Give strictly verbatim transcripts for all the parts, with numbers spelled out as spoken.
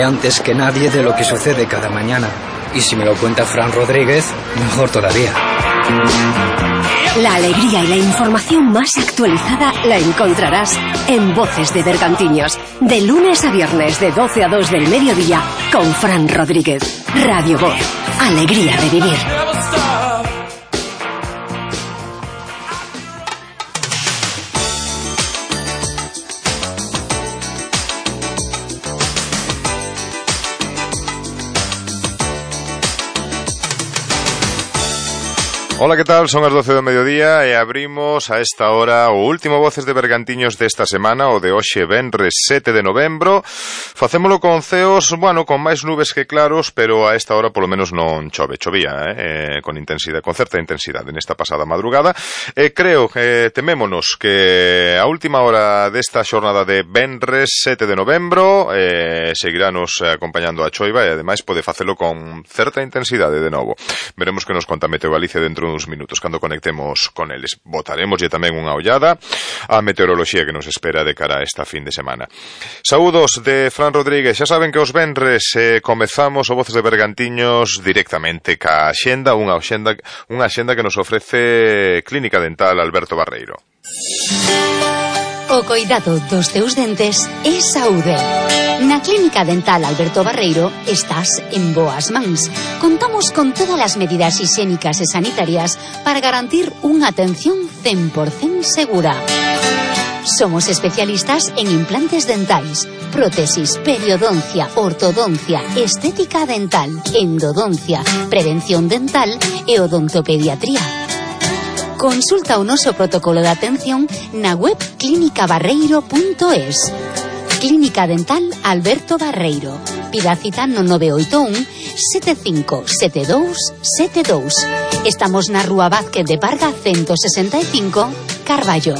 antes que nadie de lo que sucede cada mañana. Y si me lo cuenta Fran Rodríguez, mejor todavía. La alegría y la información más actualizada la encontrarás en Voces de Bergantiños, de lunes a viernes de doce a dos del mediodía, con Fran Rodríguez. Radio Voz, alegría de vivir. Ola, que tal? Son as doce do mediodía e abrimos a esta hora o último Voces de Bergantiños desta semana, o de hoxe venres sete de novembro. Facémolo con ceos, bueno, con máis nubes que claros, pero a esta hora polo menos non chove, chovía, eh, con intensidade, con certa intensidade nesta pasada madrugada. E creo que temémonos que a última hora desta xornada de venres sete de novembro eh, seguiranos acompañando a choiva e ademais pode facelo con certa intensidade de novo. Veremos que nos conta Meteo Galicia dentro uns minutos cando conectemos con eles. Botaremoslle tamén unha ollada á meteoroloxía que nos espera de cara a esta fin de semana. Saúdos de Fran Rodríguez. Xa saben que os venres eh, comezamos o Voces de Bergantiños directamente ca axenda, unha axenda, unha axenda que nos ofrece Clínica Dental Alberto Barreiro. O coidado dos teus dentes é saúde. Na Clínica Dental Alberto Barreiro estás en boas mans. Contamos con todas as medidas higiénicas e sanitarias para garantir unha atención cen por cento segura. Somos especialistas en implantes dentais, prótesis, periodoncia, ortodoncia, estética dental, endodoncia, prevención dental e odontopediatría. Consulta o noso protocolo de atención na web clínica barreiro punto es. Clínica Dental Alberto Barreiro. Pida cita no nove oito un sete cinco sete dous sete dous. Estamos na Rúa Vázquez de Parga ciento sesenta e cinco, Carballo.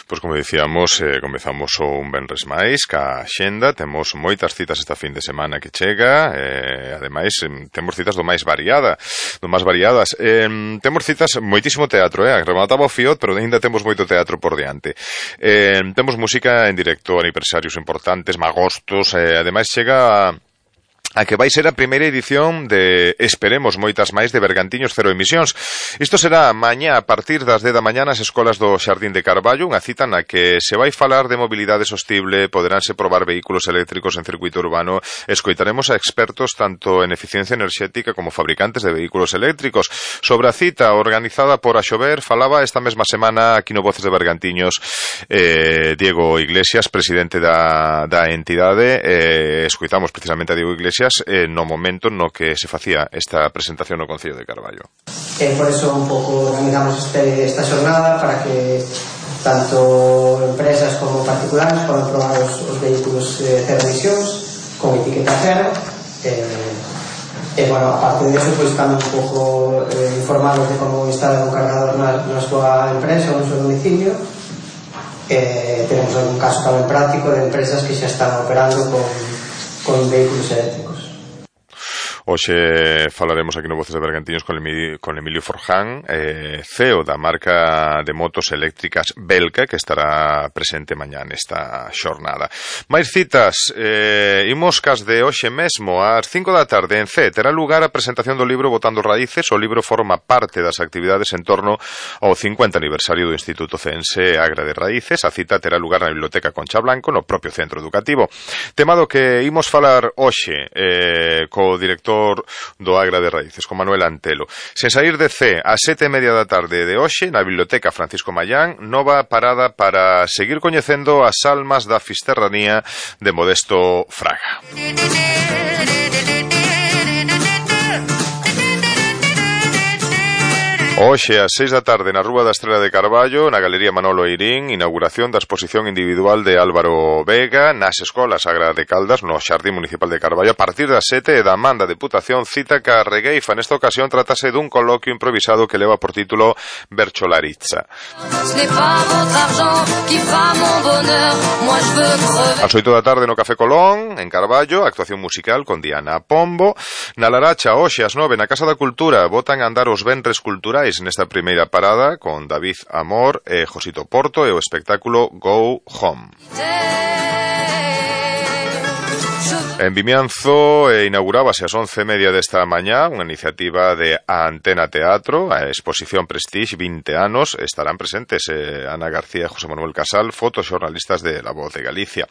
Pois como dicíamos, eh, comezamos o un venres máis ca axenda, temos moitas citas esta fin de semana que chega, eh, ademais temos citas do máis variada, do máis variadas. Eh, temos citas moitísimo teatro, eh, remataba o Fiot, pero ainda temos moito teatro por diante. Eh, temos música en directo, aniversarios importantes, magostos, eh, ademais chega a a que vai ser a primeira edición de, esperemos, moitas máis de Bergantiños Cero Emisións. Isto será mañá a partir das dez da mañá nas escolas do Xardín de Carballo, unha cita na que se vai falar de mobilidade sostible, poderánse probar vehículos eléctricos en circuito urbano, escoitaremos a expertos tanto en eficiencia enerxética como fabricantes de vehículos eléctricos. Sobre a cita organizada por Axover, falaba esta mesma semana aquí no Voces de Bergantiños eh, Diego Iglesias, presidente da, da entidade, eh, escoitamos precisamente a Diego Iglesias Eh, no momento no que se facía esta presentación no Concello de Carballo. Eh, por eso un pouco organizamos este, esta xornada para que tanto empresas como particulares podan probar os, os vehículos eh, cero emisións con etiqueta cero eh, e bueno, aparte de eso, pues tamén un pouco eh, informados de como instalar un cargador na, na súa empresa ou no seu domicilio. Eh, tenemos algún caso tamén práctico de empresas que xa están operando con, con vehículos eléctricos. Hoxe falaremos aquí no Voces de Bergantiños con Emilio, con Emilio Forján, eh, C E O da marca de motos eléctricas Belka, que estará presente mañá nesta xornada. Mais citas, eh, imos cas de hoxe mesmo, ás cinco da tarde en C, terá lugar a presentación do libro Botando Raíces. O libro forma parte das actividades en torno ao cincuenta aniversario do Instituto Ceense Agra de Raíces. A cita terá lugar na Biblioteca Concha Blanco, no propio centro educativo. Temado que imos falar hoxe eh, co director do Agra de Raíces, con Manuel Antelo. Sen sair de C, a sete e media da tarde de hoxe, na Biblioteca Francisco Mallán, nova parada para seguir coñecendo as almas da fisterranía de Modesto Fraga. Hoxe, ás seis da tarde, na Rúa da Estrela de Carballo, na Galería Manolo Eirín, inauguración da exposición individual de Álvaro Vega nas escolas Agra de Caldas, no Xardín Municipal de Carballo, a partir das sete, da man da Deputación cita ca Regueifa. Nesta ocasión tratase dun coloquio improvisado que leva por título Bercholaritza. Ás oito da tarde no Café Colón, en Carballo, actuación musical con Diana Pombo. Na Laracha, hoxe, ás nove, na Casa da Cultura, botan a andar os venres culturais nesta primeira parada con David Amor e Josito Porto e o espectáculo Go Home. En Vimianzo eh, inaugurábase ás once e media desta mañá unha iniciativa de Antena Teatro, a exposición Prestige, vinte anos. Estarán presentes eh, Ana García e José Manuel Casal, fotoxornalistas de La Voz de Galicia.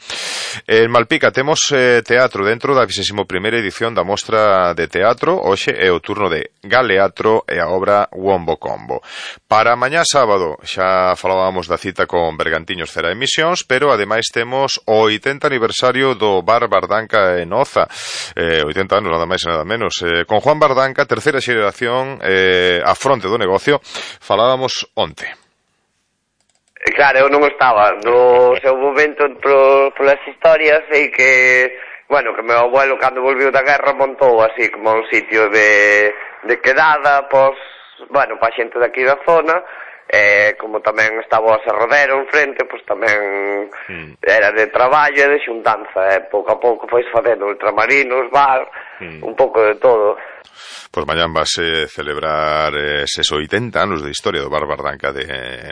En Malpica temos eh, teatro dentro da vixésima primeira edición da Mostra de Teatro. Hoxe é o turno de Galeatro e a obra Wombo Combo. Para mañá sábado xa falábamos da cita con Bergantiños Cera Emisións, pero ademais temos o oitenta aniversario do Bar Bardanca en Oza, eh, oitenta anos nada máis e nada menos, eh, con Juan Bardanca, terceira xeración eh, a fronte do negocio. Falábamos onte. Claro, eu non estaba no seu momento pro, polas historias, sei que, bueno, que meu abuelo cando volviu da guerra montou así como un sitio de, de quedada, pois, bueno, pa xente daqui da zona. Eh, como tamén estaba o aserradero en frente, pois tamén mm. era de traballo e de xuntanza, e eh. pouco a pouco pois facendo ultramarinos, bar, mm. un pouco de todo. Pois mañán vas a celebrar eh, eses oitenta anos de historia do Bar Bardanca de,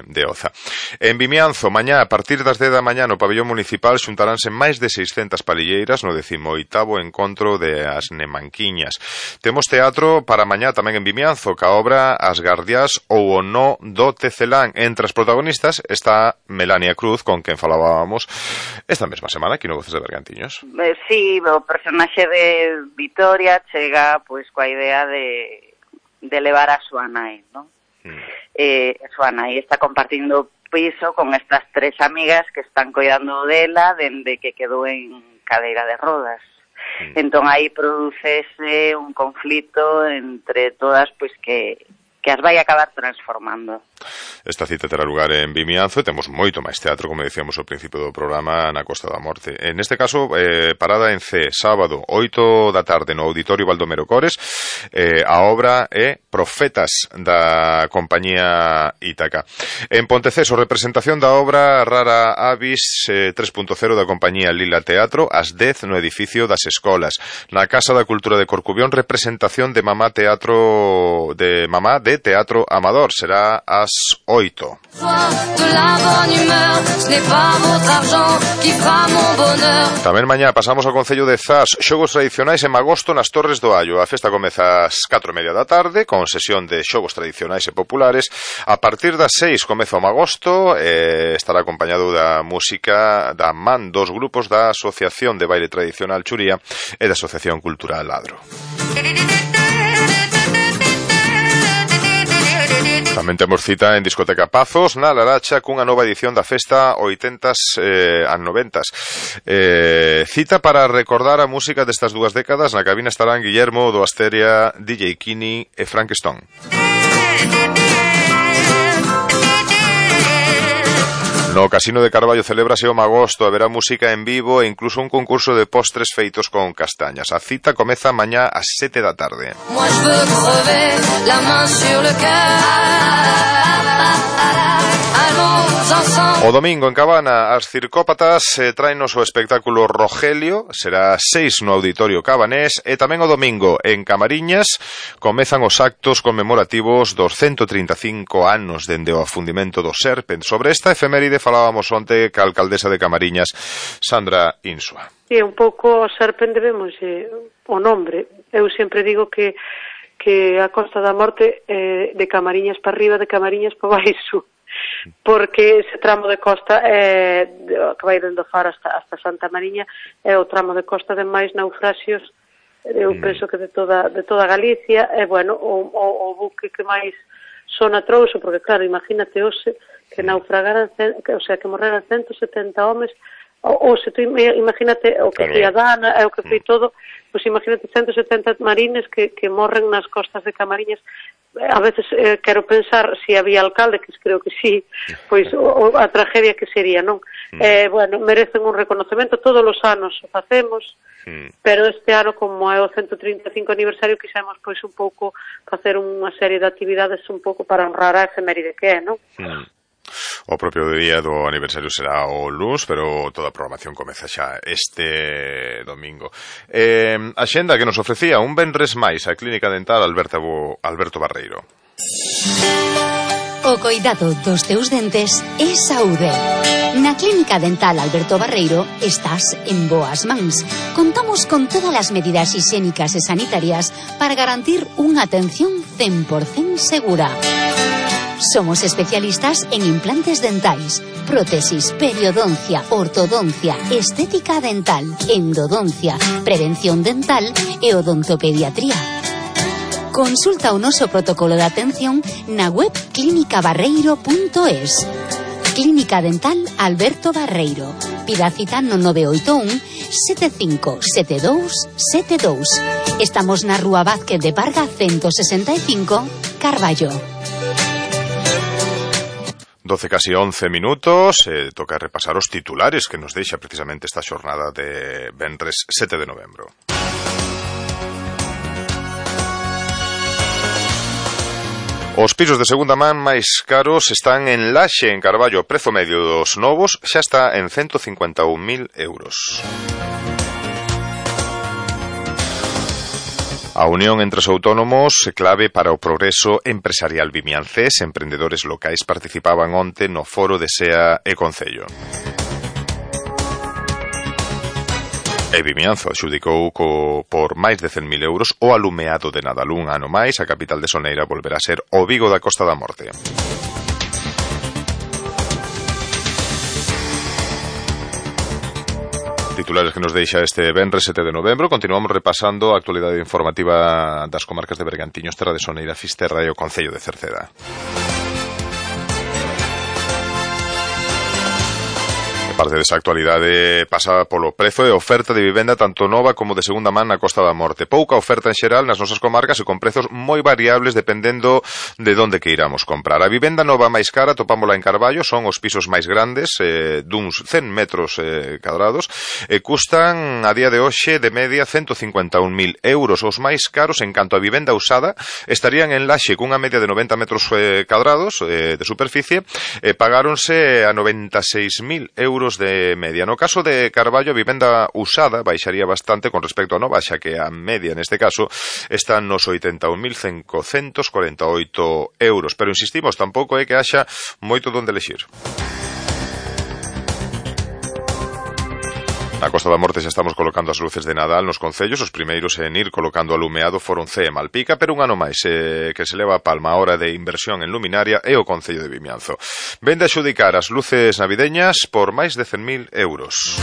de Oza. En Vimianzo, mañá, a partir das dez da mañá no pabellón municipal xuntaránse máis de seiscentas palilleras no decimoitavo encontro de As Nemanquiñas. Temos teatro para mañá tamén en Vimianzo, ca obra As Gardias ou o No do Tecelán. Entre as protagonistas está Melania Cruz, con quen falábamos esta mesma semana aquí no Voces de Bergantiños. Eh, sí, o personaxe de Vitoria chega pois coa idea de, de levar a súa nai, ¿no? Mm. Eh, a súa nai está compartindo piso con estas tres amigas que están cuidando dela dende que quedou en cadeira de rodas. Mm. Entón aí producese un conflito entre todas, pois que que as vai acabar transformando. Esta cita terá lugar en Vimianzo e temos moito máis teatro, como decíamos ao principio do programa, na Costa da Morte. En este caso, eh, parada en C, sábado, oito da tarde, no Auditorio Baldomero Cores. Eh, a obra é Profetas, da compañía Ítaca. En Ponteceso, representación da obra Rara Avis eh, tres punto cero da compañía Lila Teatro, ás dez no edificio das Escolas. Na Casa da Cultura de Corcubión, representación de Mamá Teatro de Mamá de Teatro Amador, será ás oito. Tamén mañá pasamos ao Concello de Zas, xogos tradicionais en Magosto nas Torres do Allo. A festa comeza ás catro e media da tarde con sesión de xogos tradicionais e populares. A partir das seis comeza o Magosto, e estará acompañado da música da man dos grupos da Asociación de Baile Tradicional Churía e da Asociación Cultural Ladro. Tamén temos cita en Discoteca Pazos, na Laracha, cunha nova edición da festa oitentas eh, a noventas. Eh, cita para recordar a música destas dúas décadas. Na cabina estarán Guillermo do Asteria, D J Kini e Frank Stone. No Casino de Carballo celébrase o Magosto, haberá música en vivo e incluso un concurso de postres feitos con castañas. A cita comeza mañá ás sete da tarde. O domingo en Cabana, as Circópatas eh, traenos o espectáculo Rogelio, será seis no Auditorio Cabanés, e tamén o domingo en Camariñas comezan os actos conmemorativos dos ciento trinta e cinco anos dende o afundimento do Serpent. Sobre esta efeméride falábamos onte ca alcaldesa de Camariñas, Sandra Insua. Sí, un pouco o Serpent debemos eh, o nombre. Eu sempre digo que que a Costa da Morte eh, de Camariñas para arriba, de Camariñas para baixo, porque ese tramo de costa é, que vai dende o Faro hasta, hasta Santa Mariña, é o tramo de costa de máis naufraxios, eu penso que de toda, de toda Galicia, é, bueno, o, o, o buque que máis sona trouxo, porque claro, imagínate hoxe que naufragaran, o sea, que morreran ciento setenta homes, ou, ou se tú imagínate o que foi a Dana, é o que foi todo, pois imagínate ciento setenta marines que, que morren nas costas de Camariñas. A veces eh, quero pensar se si había alcalde, que creo que sí, pois o, a tragedia que sería, non? Mm. Eh, bueno, merecen un reconocemento, todos os anos o facemos, mm. pero este ano, como é o ciento trinta e cinco aniversario, quixemos pois un pouco facer unha serie de actividades un pouco para honrar a efeméride que é, non? Mm. O propio día do aniversario será o luns, pero toda a programación comeza xa este domingo. Eh, a xenda que nos ofrecía un venres máis a Clínica Dental Alberto, Alberto Barreiro. O O coidado dos teus dentes é saúde. Na Clínica Dental Alberto Barreiro estás en boas mans. Contamos con todas as medidas higiénicas e sanitarias para garantir unha atención cen por cento segura. Somos especialistas en implantes dentais, prótesis, periodoncia, ortodoncia, estética dental, endodoncia, prevención dental e odontopediatría. Consulta o noso protocolo de atención na web clínica barreiro punto es. Clínica Dental Alberto Barreiro. Pida cita no nove oito un sete cinco sete dous sete dous. Estamos na Rúa Vázquez de Parga ciento sesenta e cinco, Carballo. doce casi once minutos, eh, toca repasar os titulares que nos deixa precisamente esta xornada de venres sete de novembro. Os pisos de segunda man máis caros están en Laxe, en Carballo. O prezo medio dos novos xa está en ciento cincuenta e un mil euros. A unión entre os autónomos é clave para o progreso empresarial vimiancés. Emprendedores locais participaban onte no foro de S E A e Concello. E Vimianzo adxudicou co, por máis de cen mil euros o alumeado de Nadal. Un ano máis, a capital de Soneira volverá a ser o Vigo da Costa da Morte. Titulares que nos deixa este venres sete de novembro. Continuamos repasando a actualidade informativa das comarcas de Bergantiños, Terra de Soneira, Fisterra e o Concello de Cerceda. Parte desa actualidade pasa polo prezo e oferta de vivenda tanto nova como de segunda man na Costa da Morte. Pouca oferta en xeral nas nosas comarcas e con prezos moi variables dependendo de onde que iramos comprar. A vivenda nova máis cara topámola en Carballo, son os pisos máis grandes, eh, duns cen metros eh, cadrados, e custan a día de hoxe de media ciento cincuenta e un mil euros. Os máis caros en canto a vivenda usada estarían en Laxe cunha media de noventa metros eh, cadrados eh, de superficie, e pagáronse a noventa e seis mil euros de media. No caso de Carballo, a vivenda usada baixaría bastante con respecto a nova, xa que a media neste caso está nos oitenta e un mil cincocentos cuarenta e oito euros. Pero insistimos, tampouco é que haxa moito donde elexir. Na Costa da Morte xa estamos colocando as luces de Nadal nos concellos. Os primeiros en ir colocando alumeado foron C E Malpica, pero un ano máis eh, que se leva a palma a hora de inversión en luminaria é o Concello de Vimianzo. Vende a xudicar as luces navideñas por máis de cen mil euros.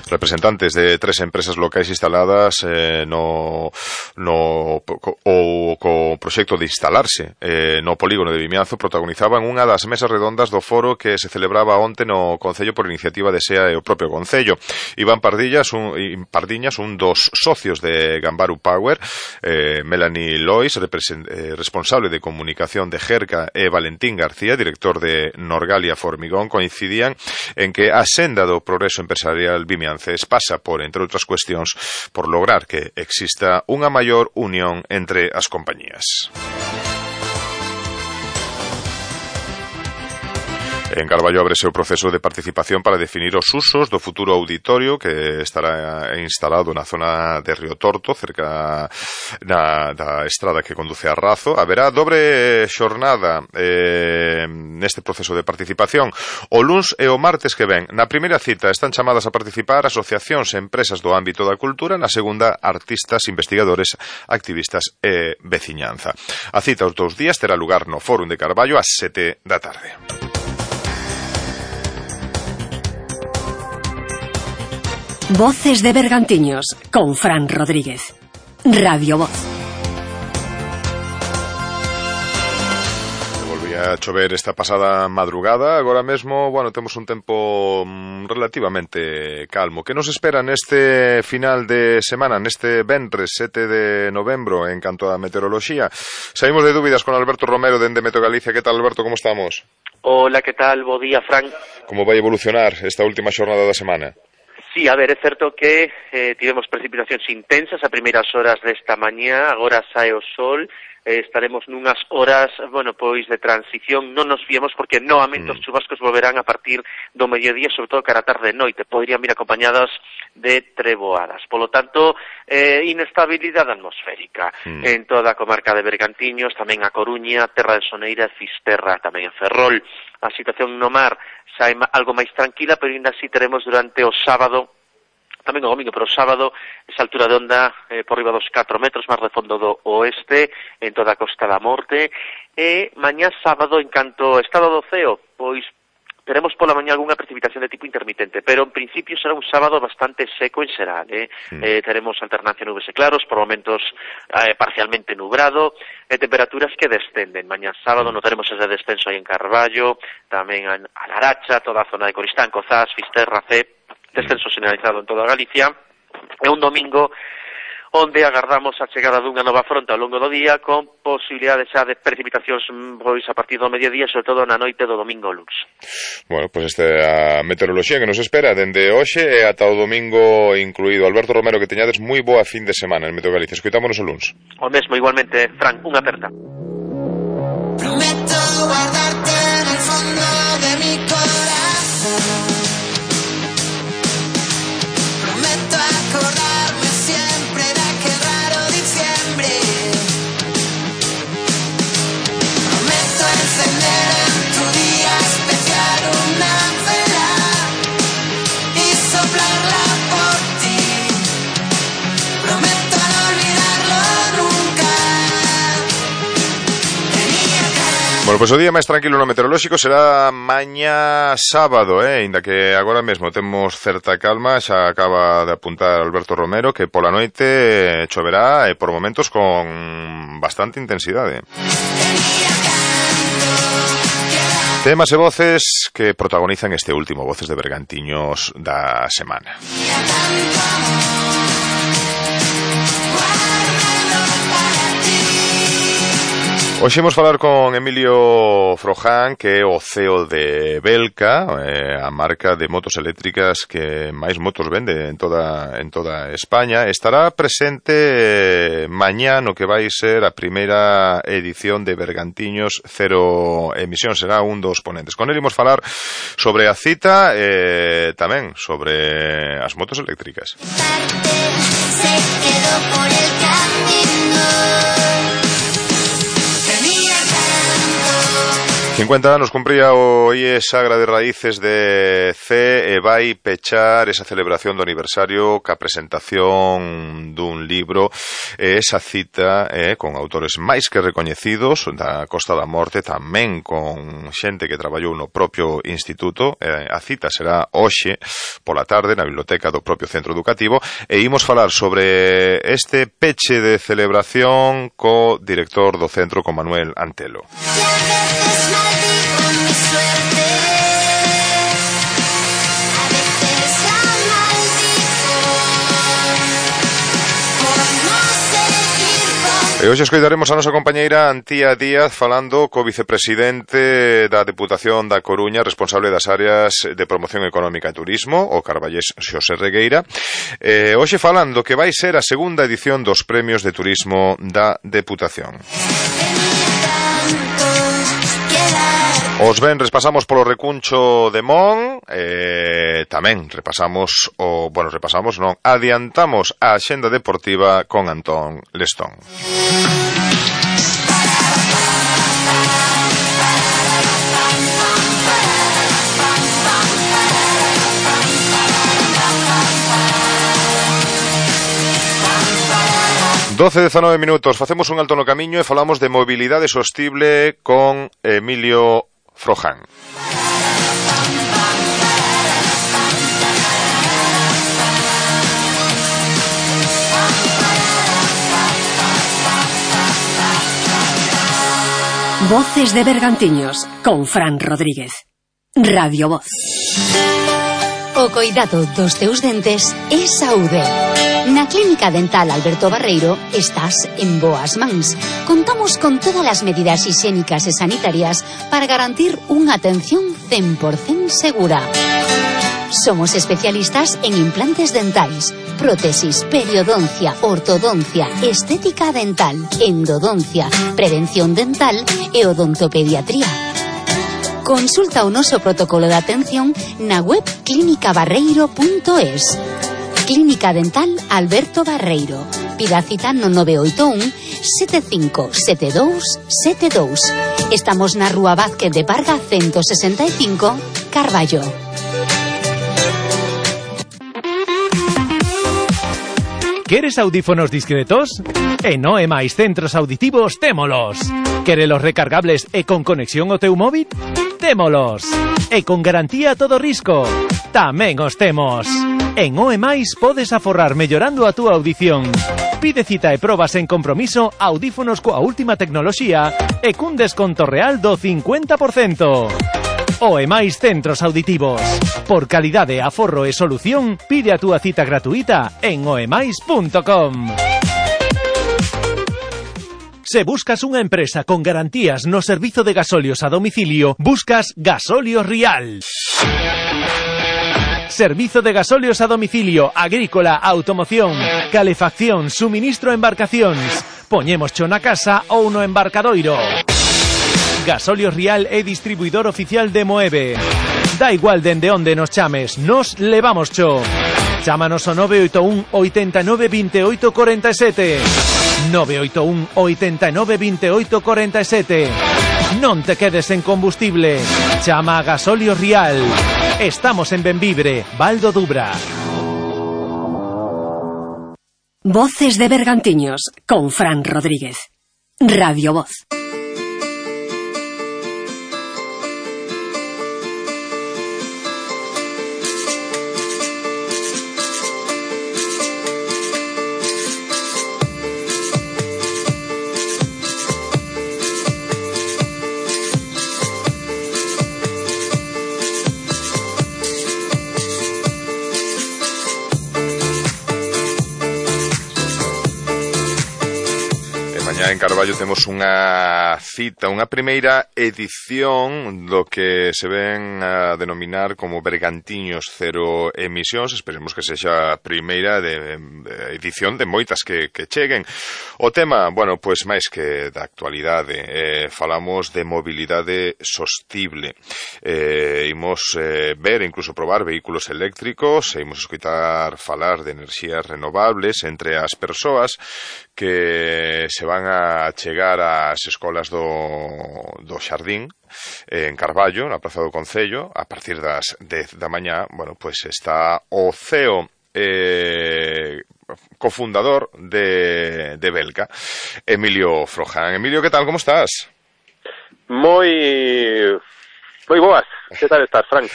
Representantes de tres empresas locais instaladas eh, no, no o co proxecto de instalarse eh, no polígono de Vimianzo protagonizaban unha das mesas redondas do foro que se celebraba onte no Concello por iniciativa de S E A e o propio Concello. Iván Pardillas, un, Pardiñas, un dos socios de Gambaru Power, eh, Melanie Lois, eh, responsable de comunicación de Jerca, e Valentín García, director de Norgalia Formigón, coincidían en que a senda do progreso empresarial vimianzo pasa por, entre outras cuestións, por lograr que exista unha maior unión entre as compañías. En Carballo ábrese o proceso de participación para definir os usos do futuro auditorio que estará instalado na zona de Río Torto, cerca na, da estrada que conduce a Razo. Haberá dobre xornada eh, neste proceso de participación. O luns e o martes que ven. Na primeira cita están chamadas a participar asociacións e empresas do ámbito da cultura, na segunda artistas, investigadores, activistas e veciñanza. A cita os dous días terá lugar no Fórum de Carballo ás sete da tarde. Voces de Bergantiños, con Fran Rodríguez. Radio Voz. Volvía a chover esta pasada madrugada. Agora mesmo, bueno, temos un tempo relativamente calmo. Que nos espera neste final de semana, neste venres sete de novembro, en canto a meteoroloxía? Saímos de dúbidas con Alberto Romero dende Meteo Galicia. Que tal, Alberto, como estamos? Hola, que tal? Bo día, Fran. Como vai evolucionar esta última xornada da semana? Sí, a ver, é certo que eh, tivemos precipitacións intensas a primeiras horas desta mañá, agora sae o sol, eh, estaremos nunhas horas, bueno, pois de transición, non nos fiemos porque novamente mm. os chubascos volverán a partir do mediodía, sobre todo cara a tarde e noite, poderían vir acompañadas de treboadas. Polo tanto, eh, inestabilidade atmosférica mm. en toda a comarca de Bergantiños, tamén a Coruña, Terra de Soneira, Fisterra, tamén en Ferrol. A situación no mar xa é algo máis tranquila, pero ainda así teremos durante o sábado, tamén o domingo, pero o sábado, esa altura de onda eh, por riba dos catro metros, mar de fondo do oeste, en toda a Costa da Morte, e mañá sábado, en canto estado do ceo, pois teremos pola mañá algunha precipitación de tipo intermitente, pero en principio será un sábado bastante seco en xeral, eh? Mm. eh teremos alternancia nubes e claros, por momentos eh, parcialmente nubrado, e temperaturas que descenden. Mañá sábado mm. notaremos ese descenso aí en Carballo, tamén a Laracha, toda a zona de Coristán, Cozás, Fisterra, C, descenso generalizado en toda Galicia, e un domingo onde agardamos a chegada dunha nova fronte ao longo do día con posibilidades xa de precipitacións pois a partir do mediodía, sobre todo na noite do domingo ao luns. Bueno, pois pues esta a meteoroloxía que nos espera dende hoxe e ata o domingo incluído. Alberto Romero, que teñades moi boa fin de semana en Meteo Galicia. Escoitámonos o luns. O mesmo, igualmente, Fran, unha aperta. Prometo guardarte en el fondo de mi corazón. Prometo acordarme siempre de aquel raro diciembre. Prometo encender en tu día especial una vela y soplarla por ti. Prometo no olvidarlo nunca. Bueno, pois pues o día máis tranquilo no meteorolóxico será mañá sábado, eh, ainda que agora mesmo temos certa calma, xa acaba de apuntar Alberto Romero que pola noite choverá e por momentos con bastante intensidade. Temas e voces que protagonizan este último Voces de Bergantiños da semana. Hoxe imos falar con Emilio Froján, que é o C E O de Belka, eh, a marca de motos eléctricas que máis motos vende en toda en toda España. Estará presente eh, mañá no que vai ser a primeira edición de Bergantiños Cero Emisión. Será un dos ponentes. Con el imos falar sobre a cita e eh, tamén sobre as motos eléctricas. Se quedó por el camino. cincuenta anos cumpría o I E Sagra de Raíces de C e vai pechar esa celebración do aniversario ca presentación dun libro e esa cita eh, con autores máis que recoñecidos da Costa da Morte, tamén con xente que traballou no propio instituto. Eh, a cita será hoxe pola tarde na biblioteca do propio centro educativo e imos falar sobre este peche de celebración co director do centro, con Manuel Antelo. E hoxe escoitaremos a nosa compañeira Antía Díaz falando co vicepresidente da Deputación da Coruña, responsable das áreas de promoción económica e turismo, o carballés Xosé Regueira. E hoxe falando que vai ser a segunda edición dos premios de turismo da Deputación. Os venres pasamos polo recuncho de Mon, e tamén repasamos o, bueno, repasamos non, adiantamos a axenda deportiva con Antón Lestón. doce e dezanove minutos, facemos un alto no camiño e falamos de mobilidade sostible con Emilio Froján. Voces de Bergantiños con Fran Rodríguez. Radio Voz. O coidado dos teus dentes é saúde. Na Clínica Dental Alberto Barreiro estás en boas mans. Contamos con todas as medidas higiénicas e sanitarias para garantir unha atención cen por cento segura. Somos especialistas en implantes dentais, prótesis, periodoncia, ortodoncia, estética dental, endodoncia, prevención dental e odontopediatría. Consulta o noso protocolo de atención na web clínica barreiro punto es. Clínica Dental Alberto Barreiro. Pida cita no nove oito un, sete cinco sete dous sete dous. Estamos na Rúa Vázquez de Parga ciento sesenta e cinco, Carballo. ¿Queres audífonos discretos? En O E Mais Centros Auditivos témolos. ¿Querelos recargables e con conexión ao teu móvil? Témolos. E con garantía a todo risco. Tamén os temos. En O E Mais podes aforrar mellorando a túa audición. Pide cita e probas en compromiso audífonos coa última tecnoloxía e cun desconto real do cincuenta por cento. O E Mais Centros Auditivos. Por calidade, aforro e solución, pide a túa cita gratuita en o e mais punto com. Se buscas unha empresa con garantías no servizo de gasolios a domicilio, buscas Gasolios Rial. Servizo de gasolios a domicilio, agrícola, automoción, calefacción, suministro a embarcacións. Poñémoscho na casa ou no embarcadoiro. Gasolios Rial é distribuidor oficial de Moeve. Da igual dende onde nos chames, nos levamos cho. Chámanos ao nove oito un, oitenta e nove, vinte e oito, cuarenta e sete. nove oito un, oitenta e nove, vinte e oito, cuarenta e sete. Non te quedes en combustible. Chama a Gasolios Rial. Estamos en Benvibre, Val do Dubra. Voces de Bergantiños, con Fran Rodríguez. Radio Voz. En Carballo temos unha cita, unha primeira edición do que se ven a denominar como Bergantiños Cero Emisións. Esperemos que sexa a primeira de, de edición de moitas que, que cheguen. O tema, bueno, pois máis que da actualidade, eh, falamos de mobilidade sostible. Eh, imos eh, ver, incluso probar vehículos eléctricos, e imos escutar falar de enerxías renovables entre as persoas que se van a chegar ás escolas do, do Xardín en Carballo, na Praza do Concello, a partir das dez da mañá. Bueno, pois está o C E O eh, cofundador de, de Belka, Emilio Froján. Emilio, que tal, como estás? Moi moi boas, que tal estás, Frank?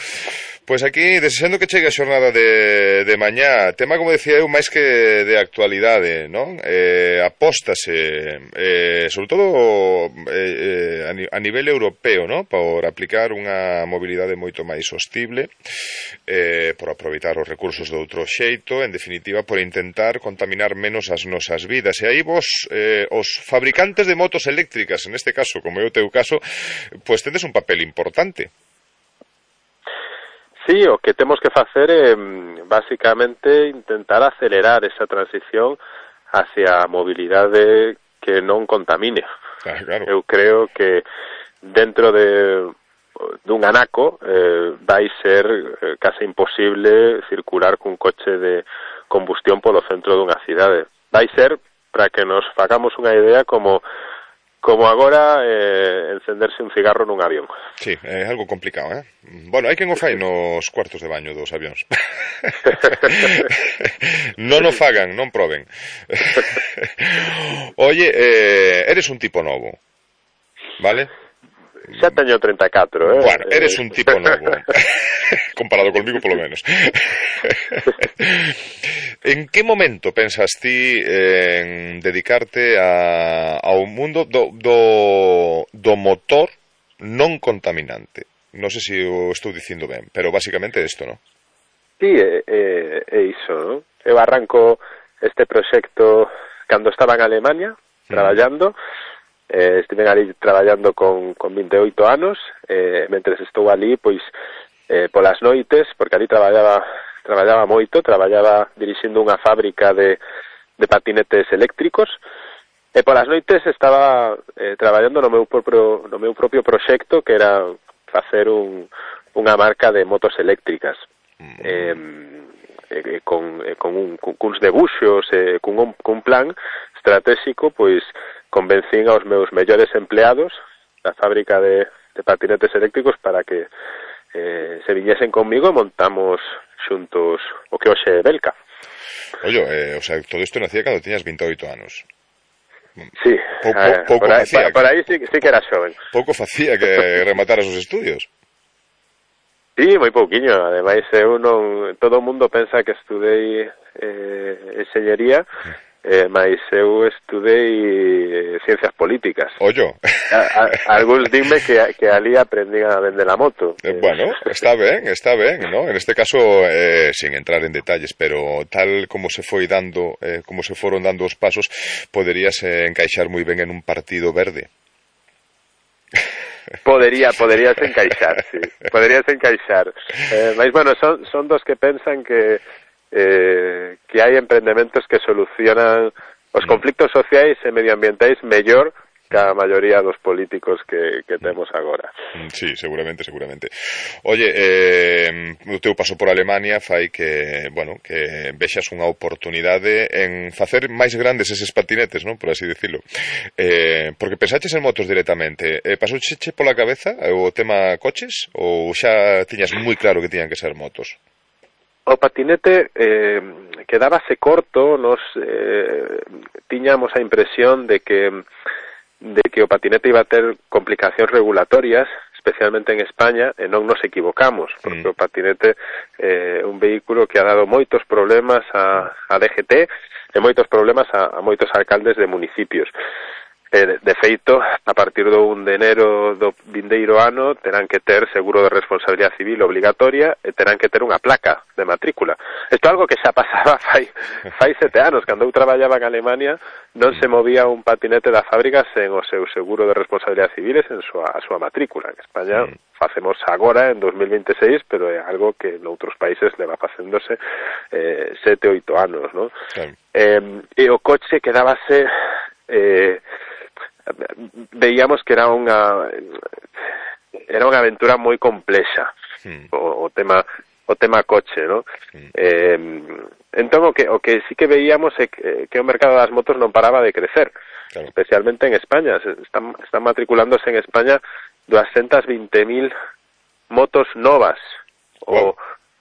Pois aquí, desexando que chegue a xornada de, de mañá, tema, como decía eu, máis que de actualidade, non? Eh, apóstase, eh, sobre todo eh, a nivel europeo, non? Por aplicar unha mobilidade moito máis sostible, eh, por aproveitar os recursos de outro xeito, en definitiva, por intentar contaminar menos as nosas vidas. E aí vos, eh, os fabricantes de motos eléctricas, en este caso, como é o teu caso, pois tedes un papel importante. Sí, o que temos que facer é, basicamente, intentar acelerar esa transición hacia a mobilidade que non contamine. Ah, claro. Eu creo que dentro de dun anaco eh, vai ser eh, case imposible circular cun coche de combustión polo centro dunha cidade. Vai ser, para que nos fagamos unha idea, como como agora eh, encenderse un cigarro nun avión. Sí, é algo complicado, eh? Bueno, hai quen o fai nos cuartos de baño dos avións. Non o fagan, non proben. Oye, eh, eres un tipo novo, vale? Xa teño treinta e catro, eh? Bueno, eres un tipo novo. Comparado conmigo, polo menos. En que momento pensas ti en dedicarte a, ao mundo do, do, do motor non contaminante? Non sei se o estou dicindo ben, pero basicamente isto, non? Sí, é, é, é iso, non? Eu arranco este proxecto cando estaba en Alemania, mm. traballando. Eh, estive ali traballando con, con vinte e oito anos, eh, mentres estou ali, pois, eh, polas noites, porque ali traballaba traballaba moito, traballaba dirixindo unha fábrica de, de patinetes eléctricos, e polas noites estaba eh, traballando no meu propio, no meu propio proxecto, que era facer un, unha marca de motos eléctricas. Mm. Eh, eh, con, eh, con, un, con uns debuxos, eh, con, un, con un plan estratégico, pois convencín aos meus mellores empleados da fábrica de, de patinetes eléctricos para que eh, se viñesen conmigo e montamos xuntos o que hoxe é Belka. Oye, eh, o sea, todo isto nacía cando tiñas veintioito anos. Sí, po, po, eh, pouco por, aí, facía, por aí sí, sí que era xoven. Pouco facía que remataras os estudios. Sí, moi pouquiño, ademais eu non, todo o mundo pensa que estudei eh, enxeñería, eh, mas eu estudei ciencias políticas. Ollo. A, a, algúns dime que, que ali aprendí a vender a moto. Eh, bueno, está ben, está ben, ¿no? En este caso, eh, sin entrar en detalles, pero tal como se foi dando, eh, como se foron dando os pasos, poderías eh, encaixar moi ben en un partido verde. Podería, poderías encaixar, sí. Poderías encaixar. Eh, mas, bueno, son, son dos que pensan que eh, que hai emprendementos que solucionan os conflictos sociais e medioambientais mellor que a maioría dos políticos que, que temos agora. Sí, seguramente, seguramente. Oye, eh, o teu paso por Alemania fai que, bueno, que vexas unha oportunidade en facer máis grandes eses patinetes, non? Por así decirlo. Eh, porque pensaches en motos directamente. Eh, pasouche pola cabeza o tema coches ou xa tiñas moi claro que tiñan que ser motos? O patinete eh, quedábase corto, nos eh, tiñamos a impresión de que de que o patinete iba a ter complicacións regulatorias, especialmente en España, e non nos equivocamos, porque mm. o patinete é eh, un vehículo que ha dado moitos problemas a, a D G T e moitos problemas a, a moitos alcaldes de municipios. Eh, de, de feito, a partir do un de enero do vindeiro ano terán que ter seguro de responsabilidade civil obligatoria e terán que ter unha placa de matrícula. Isto é algo que xa pasaba fai, fai sete anos. Cando eu traballaba en Alemania non se movía un patinete da fábrica sen o seu seguro de responsabilidade civil e sen súa, a súa matrícula. En España mm. facemos agora en dos mil veintiséis, pero é algo que noutros países leva facéndose eh, sete, oito anos, non? Sí. Eh, e o coche quedábase... Eh, veíamos que era unha era unha aventura moi complexa mm. o, o tema o tema coche, ¿no? Mm. Eh, entón o que o que sí que veíamos é que, que o mercado das motos non paraba de crecer, claro. Especialmente en España. Están, están matriculándose en España doscientas veinte mil motos novas o, oh.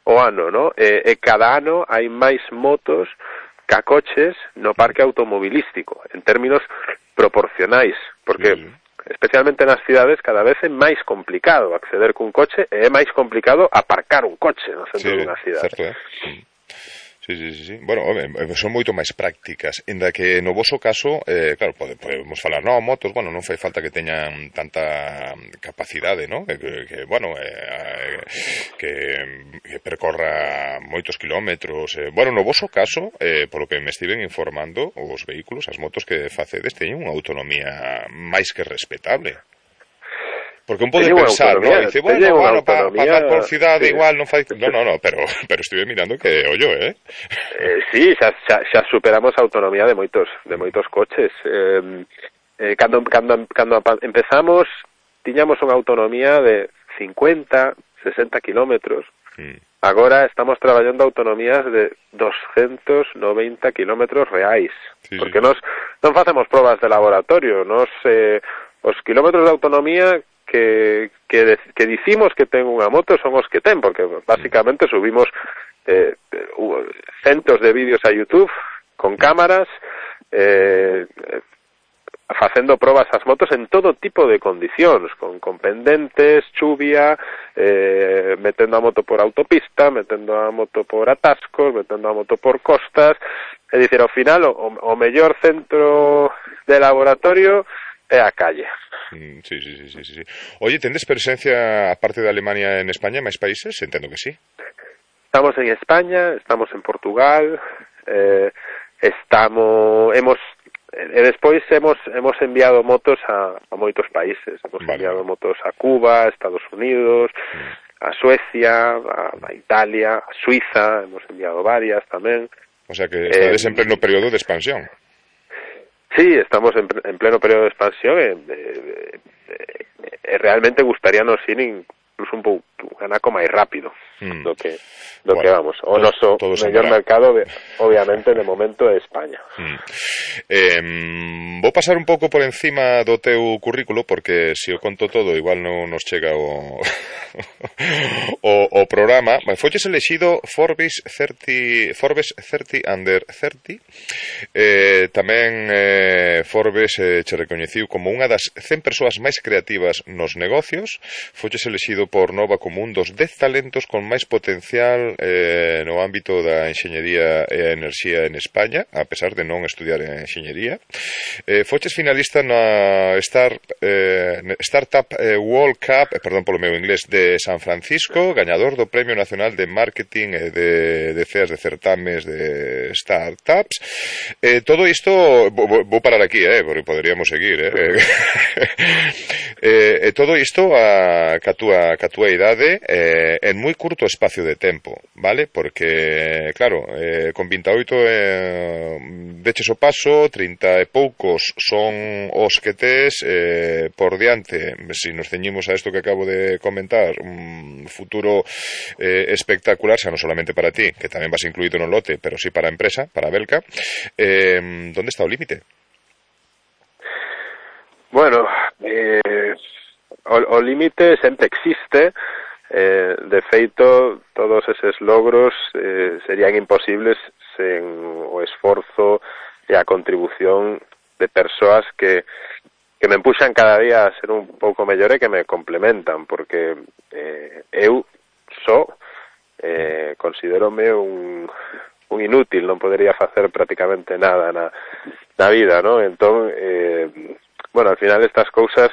o ano, ¿no? E, e cada ano hai máis motos ca coches no parque automobilístico, en términos proporcionais, porque sí. especialmente nas cidades cada vez é máis complicado acceder cun coche e é máis complicado aparcar un coche no centro sí, dunha cidade. Certo, eh? Sí, sí, sí, sí. Bueno, son moito máis prácticas, inda que no voso caso, eh, claro, pode, podemos falar, non, motos, bueno, non fai falta que teñan tanta capacidade, non? Que, que bueno, eh, que, que percorra moitos kilómetros. Eh, bueno, no voso caso, eh, polo que me estiven informando, os vehículos, as motos que facedes, teñen unha autonomía máis que respetable. Porque un pode pensar, ¿no? Dice, bueno, bueno, para pa andar por cidade sí. igual non fai... No, no, no, pero pero estive mirando que ollo, eh? eh sí, xa, xa, xa superamos a autonomía de moitos de moitos coches. Eh, eh, cando, cando, cando empezamos, tiñamos unha autonomía de cincuenta, sesenta kilómetros. Mm. Agora estamos traballando autonomías de doscientos noventa kilómetros reais. Sí, porque sí. nos non facemos probas de laboratorio, nos eh, os kilómetros de autonomía que, que, que dicimos que ten unha moto son os que ten, porque básicamente subimos eh, centos de vídeos a YouTube con cámaras eh, facendo probas ás motos en todo tipo de condicións, con, con pendentes, chuvia, eh, metendo a moto por autopista, metendo a moto por atascos, metendo a moto por costas. É dicir, ao final o, o mellor centro de laboratorio é a calle. Sí, sí, sí, sí, sí. Oye, tendes presencia, aparte de Alemania, en España, máis países? Entendo que sí. Estamos en España, estamos en Portugal, eh, estamos, hemos, e despois hemos, hemos enviado motos a, a moitos países. Hemos vale. enviado motos a Cuba, Estados Unidos, mm. a Suecia, a, a Italia, a Suiza, hemos enviado varias tamén. O sea que estades eh, en pleno período de expansión. Sí, estamos en, en pleno período de expansión e, e, e, e realmente gustaríanos ir incluso un pouco un anaco máis rápido mm. do que do bueno, que vamos. O noso mellor mercado, de, obviamente, de momento é España. Mm. Eh, vou pasar un pouco por encima do teu currículo, porque se o conto todo, igual non nos chega o o, o programa. Foches elexido Forbes thirty, Forbes thirty under thirty. Eh, tamén eh, Forbes eh, che recoñeciu como unha das cen persoas máis creativas nos negocios. Foches elexido por Nova como un dos dez talentos con máis potencial eh, no ámbito da enxeñería e a enerxía en España, a pesar de non estudiar en enxeñería. Eh, foches finalista na Star, eh, Startup eh, World Cup, eh, perdón polo meu inglés, de San Francisco, gañador do Premio Nacional de Marketing e de, de ceas de certames de startups. Eh, todo isto, vou, vou parar aquí, eh, porque poderíamos seguir, eh. eh, eh todo isto a, ca túa, ca túa idade eh, en moi curto espacio de tempo, vale? Porque, claro, eh, con vinte e oito eh, deches o paso, trinta e poucos son os que tes eh, por diante, se nos ceñimos a isto que acabo de comentar, un futuro eh, espectacular, xa non solamente para ti, que tamén vas incluído no lote, pero sí para a empresa, para Belka. Eh, ¿Dónde está o límite? Bueno, eh, o, o límite sempre existe. Eh, de feito, todos eses logros eh, serían imposibles sen o esforzo e a contribución de persoas que, que me empuxan cada día a ser un pouco mellor e que me complementan, porque eh, eu só eh, considerome un, un inútil, non podería facer prácticamente nada na, na vida, ¿no? Entón, eh, bueno, al final estas cousas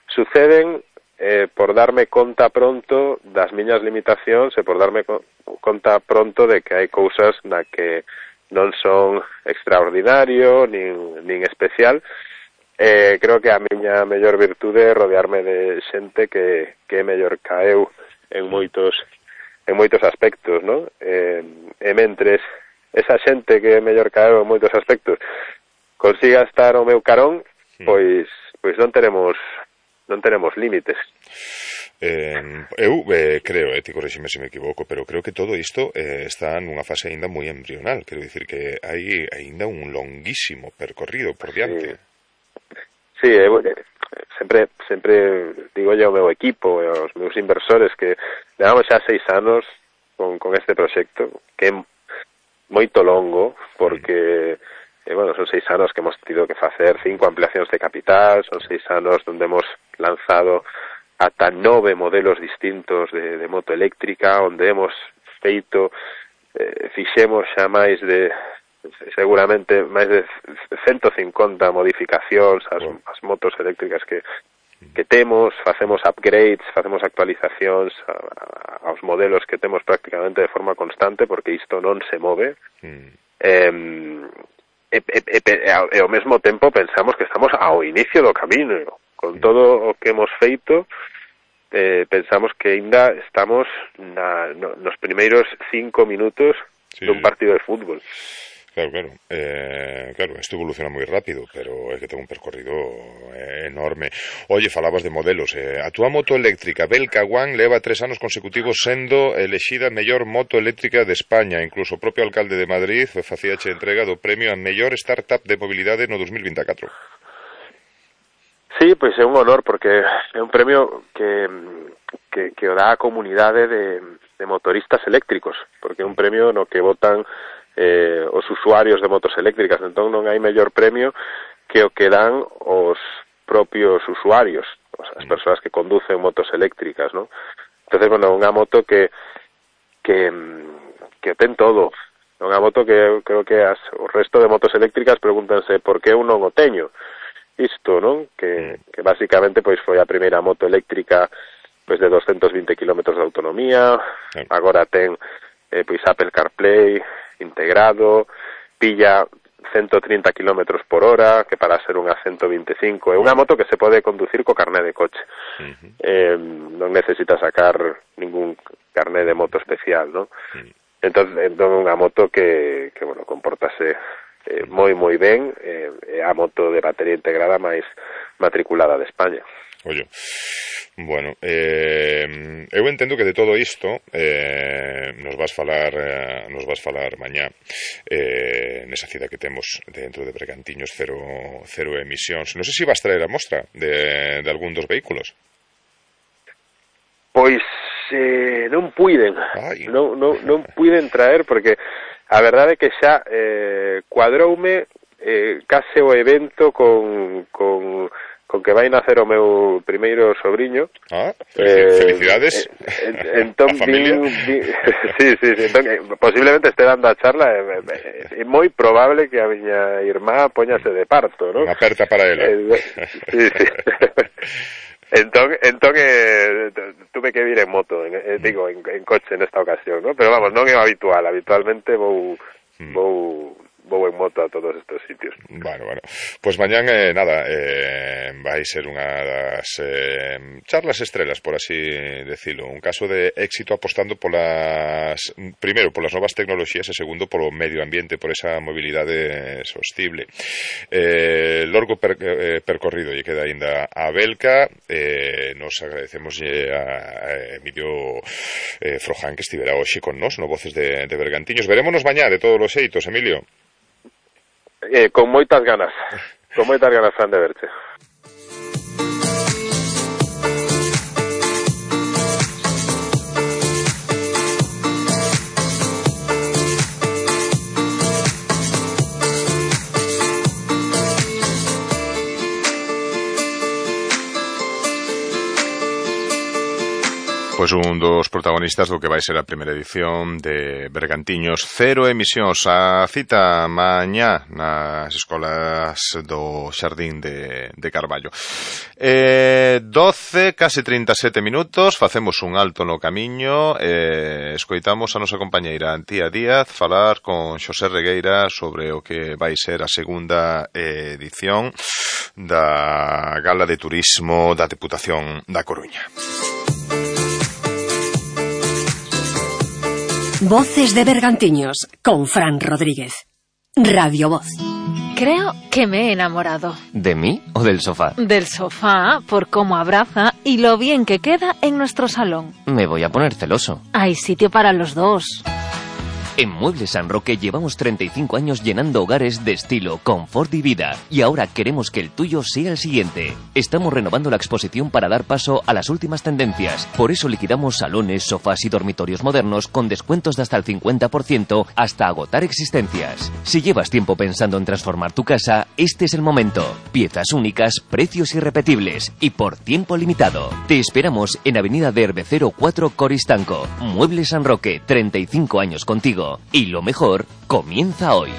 suceden Eh, por darme conta pronto das miñas limitacións e por darme co conta pronto de que hai cousas na que non son extraordinario nin, nin especial. Eh, creo que a miña mellor virtude é rodearme de xente que, que é mellor ca eu en moitos en moitos aspectos, ¿no? Eh, e mentres esa xente que é mellor ca eu en moitos aspectos consiga estar ao meu carón, pois pois non teremos non tenemos límites. Eh, eu eh, creo, eh, ti correxime se me equivoco, pero creo que todo isto eh, está nunha fase aínda moi embrional, quero dicir que hai aínda un longuísimo percorrido por diante. Sí, sí eh, sempre, sempre digo yo ao meu equipo e aos meus inversores que levamos xa seis anos con, con este proxecto, que é moito longo, porque mm. eh, bueno, son seis anos que hemos tido que facer cinco ampliacións de capital, son seis anos onde hemos lanzado ata nove modelos distintos de, de moto eléctrica, onde hemos feito, eh, fixemos xa máis de, seguramente, máis de ciento cincuenta modificacións ás, ás motos eléctricas que, que temos, facemos upgrades, facemos actualizacións a, a, aos modelos que temos prácticamente de forma constante, porque isto non se move. Mm. Eh, e, e, e, e ao mesmo tempo pensamos que estamos ao inicio do camiño. Con todo o que hemos feito, eh, pensamos que ainda estamos na, no, nos primeiros cinco minutos sí, dun partido de fútbol. Claro, claro. Eh, claro, isto evoluciona moi rápido, pero é que ten un percorrido eh, enorme. Oye, falabas de modelos. Eh, a túa moto eléctrica, Belka One, leva tres anos consecutivos sendo elexida mellor moto eléctrica de España. Incluso o propio alcalde de Madrid facíache entrega do premio a mellor startup de mobilidade no dos mil vinte e catro. Sí, pois é un honor, porque é un premio que, que, que o dá a comunidade de, de motoristas eléctricos, porque é un premio no que votan eh, os usuarios de motos eléctricas, entón non hai mellor premio que o que dan os propios usuarios, as persoas que conducen motos eléctricas, ¿no? Entonces, bueno, unha moto que que, que ten todo, unha moto que creo que as, o resto de motos eléctricas pregúntanse por que eu non o teño. Isto, non? Que, que basicamente pois foi a primeira moto eléctrica pois de doscientos vinte kilómetros de autonomía, sí. Agora ten eh, pois Apple CarPlay integrado, pilla ciento treinta kilómetros por hora, que para ser unha ciento veinticinco. É unha moto que se pode conducir co carné de coche. Uh-huh. Eh, non necesita sacar ningún carné de moto especial, ¿no? Uh-huh. Entón, entón unha moto que, que bueno, comportase eh, moi moi ben, é eh, a moto de batería integrada máis matriculada de España. Ollo, bueno, eh, eu entendo que de todo isto eh, nos vas falar eh, nos vas falar mañá eh, nesa cita que temos dentro de Bergantiños cero, cero emisións. Non sei se vas traer a mostra de, de algún dos vehículos. Pois eh, non puiden non, non, non puiden traer porque a verdade é que xa eh, cuadroume eh, case o evento con... con con que vai nacer o meu primeiro sobrinho. Ah, felicidades. Eh, entón, a familia. Vin, vin, sí, sí, sí, entón, posiblemente este dando a charla, é, é, é moi probable que a miña irmá poñase de parto, ¿no? Unha aperta para ela. Eh, sí, sí. entón, entón eh, tuve que vir en moto, en, eh, digo, en, en coche nesta ocasión, ¿no? Pero vamos, non é o habitual, habitualmente vou... Hmm. vou vou en moto a todos estes sitios. Bueno, bueno. Pois pues mañán, eh, nada, eh, vai ser unha das eh, charlas estrelas, por así decirlo. Un caso de éxito apostando polas, primeiro, polas novas tecnoloxías e segundo, polo medio ambiente, por esa mobilidade sostible. Eh, lorgo per, eh, percorrido lle queda aínda a Belca. Eh, nos agradecemos a, a Emilio eh, Froján que estivera hoxe con nós no Voces de, de Bergantiños. Verémonos mañá de todos os xeitos, Emilio. Eh, con moitas ganas, con moitas ganas, Fran, de verte. Pois un dos protagonistas do que vai ser a primeira edición de Bergantiños Cero Emisións. A cita mañá nas escolas do Xardín de, de Carballo. Eh, doce, case trinta e sete minutos, facemos un alto no camiño e eh, escoitamos a nosa compañeira Antía Díaz falar con Xosé Regueira sobre o que vai ser a segunda edición da Gala de Turismo da Deputación da Coruña. Voces de Bergantiños, con Fran Rodríguez. Radio Voz. Creo que me he enamorado. ¿De mí o del sofá? Del sofá, por cómo abraza y lo bien que queda en nuestro salón. Me voy a poner celoso. Hay sitio para los dos. En Muebles San Roque llevamos treinta y cinco años llenando hogares de estilo, confort y vida. Y ahora queremos que el tuyo sea el siguiente. Estamos renovando la exposición para dar paso a las últimas tendencias. Por eso liquidamos salones, sofás y dormitorios modernos con descuentos de hasta el cincuenta por ciento hasta agotar existencias. Si llevas tiempo pensando en transformar tu casa, este es el momento. Piezas únicas, precios irrepetibles y por tiempo limitado. Te esperamos en Avenida de Herbecero cuatro Coristanco. Muebles San Roque, treinta y cinco años contigo. Y lo mejor comienza hoy.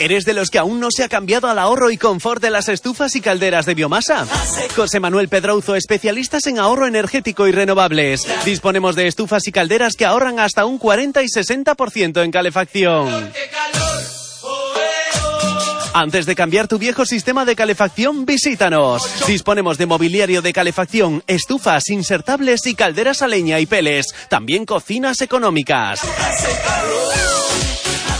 ¿Eres de los que aún no se ha cambiado al ahorro y confort de las estufas y calderas de biomasa? José Manuel Pedrouzo, especialistas en ahorro energético y renovables. Disponemos de estufas y calderas que ahorran hasta un cuarenta y sesenta por ciento en calefacción. Antes de cambiar tu viejo sistema de calefacción, visítanos. Disponemos de mobiliario de calefacción, estufas insertables y calderas a leña y peles. También cocinas económicas.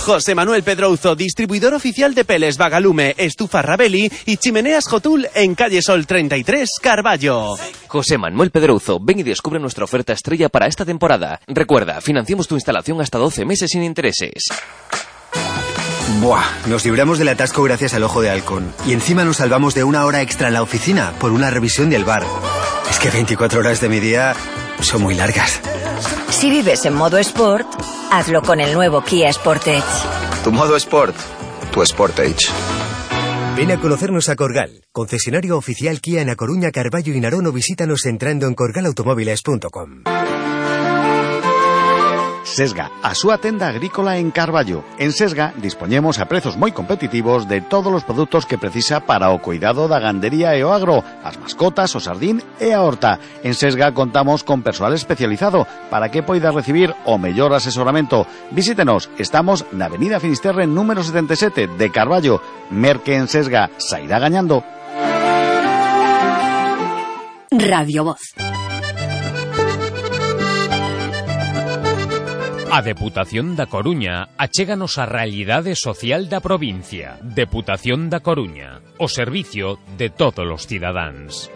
José Manuel Pedrouzo, distribuidor oficial de peles Vagalume, estufa Rabelli y chimeneas Jotul en calle Sol treinta y tres, Carballo. José Manuel Pedrouzo, ven y descubre nuestra oferta estrella para esta temporada. Recuerda, financiamos tu instalación hasta doce meses sin intereses. Buah, nos libramos del atasco gracias al Ojo de Halcón. Y encima nos salvamos de una hora extra en la oficina por una revisión del bar. Es que veinticuatro horas de mi día son muy largas. Si vives en modo Sport, hazlo con el nuevo Kia Sportage. Tu modo Sport, tu Sportage. Ven a conocernos a Corgal, concesionario oficial Kia en A Coruña, Carballo y Narón, o visítanos entrando en corgal automóviles punto com. Sesga, a súa tenda agrícola en Carballo. En Sesga dispoñemos a prezos moi competitivos de todos os produtos que precisa para o cuidado da gandería e o agro, as mascotas, o sardín e a horta. En Sesga contamos con persoal especializado para que poida recibir o mellor asesoramento. Visítenos, estamos na Avenida Finisterre número setenta e sete de Carballo. Merque en Sesga, sairá gañando. Radio Voz. A Deputación da Coruña achéganos a realidade social da provincia. Deputación da Coruña, o servicio de todos os cidadáns.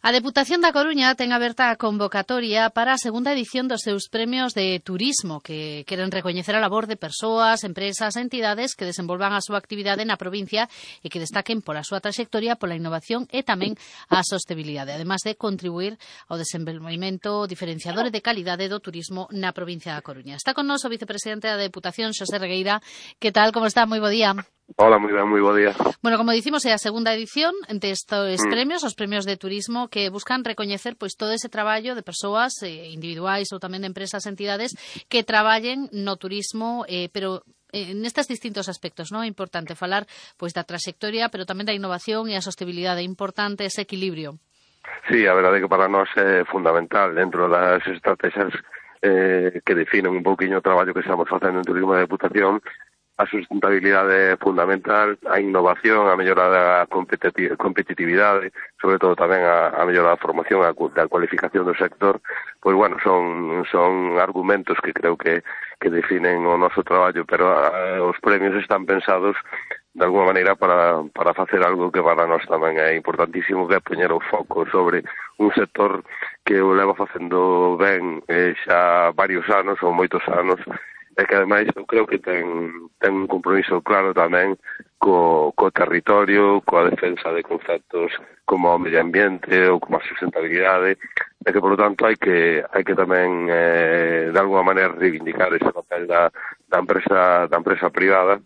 A Deputación da Coruña ten aberta a convocatoria para a segunda edición dos seus premios de turismo, que queren recoñecer a labor de persoas, empresas e entidades que desenvolvan a súa actividade na provincia e que destaquen pola súa traxectoria, pola innovación e tamén a sostenibilidade, además de contribuir ao desenvolvemento diferenciador e de calidade do turismo na provincia da Coruña. Está con nós o vicepresidente da Deputación, Xosé Regueira. Que tal, como está? Moi bo día. Hola, moi ben, moi bo día. Bueno, como dicimos, é a segunda edición de estes Mm. premios, os premios de turismo, que buscan recoñecer pois todo ese traballo de persoas eh, individuais ou tamén de empresas e entidades que traballen no turismo, eh, pero eh, nestes distintos aspectos, non? É importante falar pois da traxectoria, pero tamén da innovación e a sostenibilidade. É importante ese equilibrio. Sí, a verdade é que para nós é fundamental dentro das estrategias eh, que definen un pouquiño o traballo que estamos facendo en turismo de Deputación. A sustentabilidade é fundamental, a innovación, a mellora da competitividade, sobre todo tamén a, a mellora da formación, a, da cualificación do sector, pois, bueno, son, son argumentos que creo que, que definen o noso traballo, pero a, os premios están pensados de alguma maneira para, para facer algo que para nós tamén é importantísimo, que é poñer o foco sobre un sector que o leva facendo ben eh, xa varios anos ou moitos anos, e que ademais eu creo que ten, ten un compromiso claro tamén co, co territorio, coa defensa de conceptos como o medio ambiente ou como a sustentabilidade, e que, por lo tanto, hai que, hai que tamén eh, de alguma maneira reivindicar ese papel da, da, empresa, da empresa privada,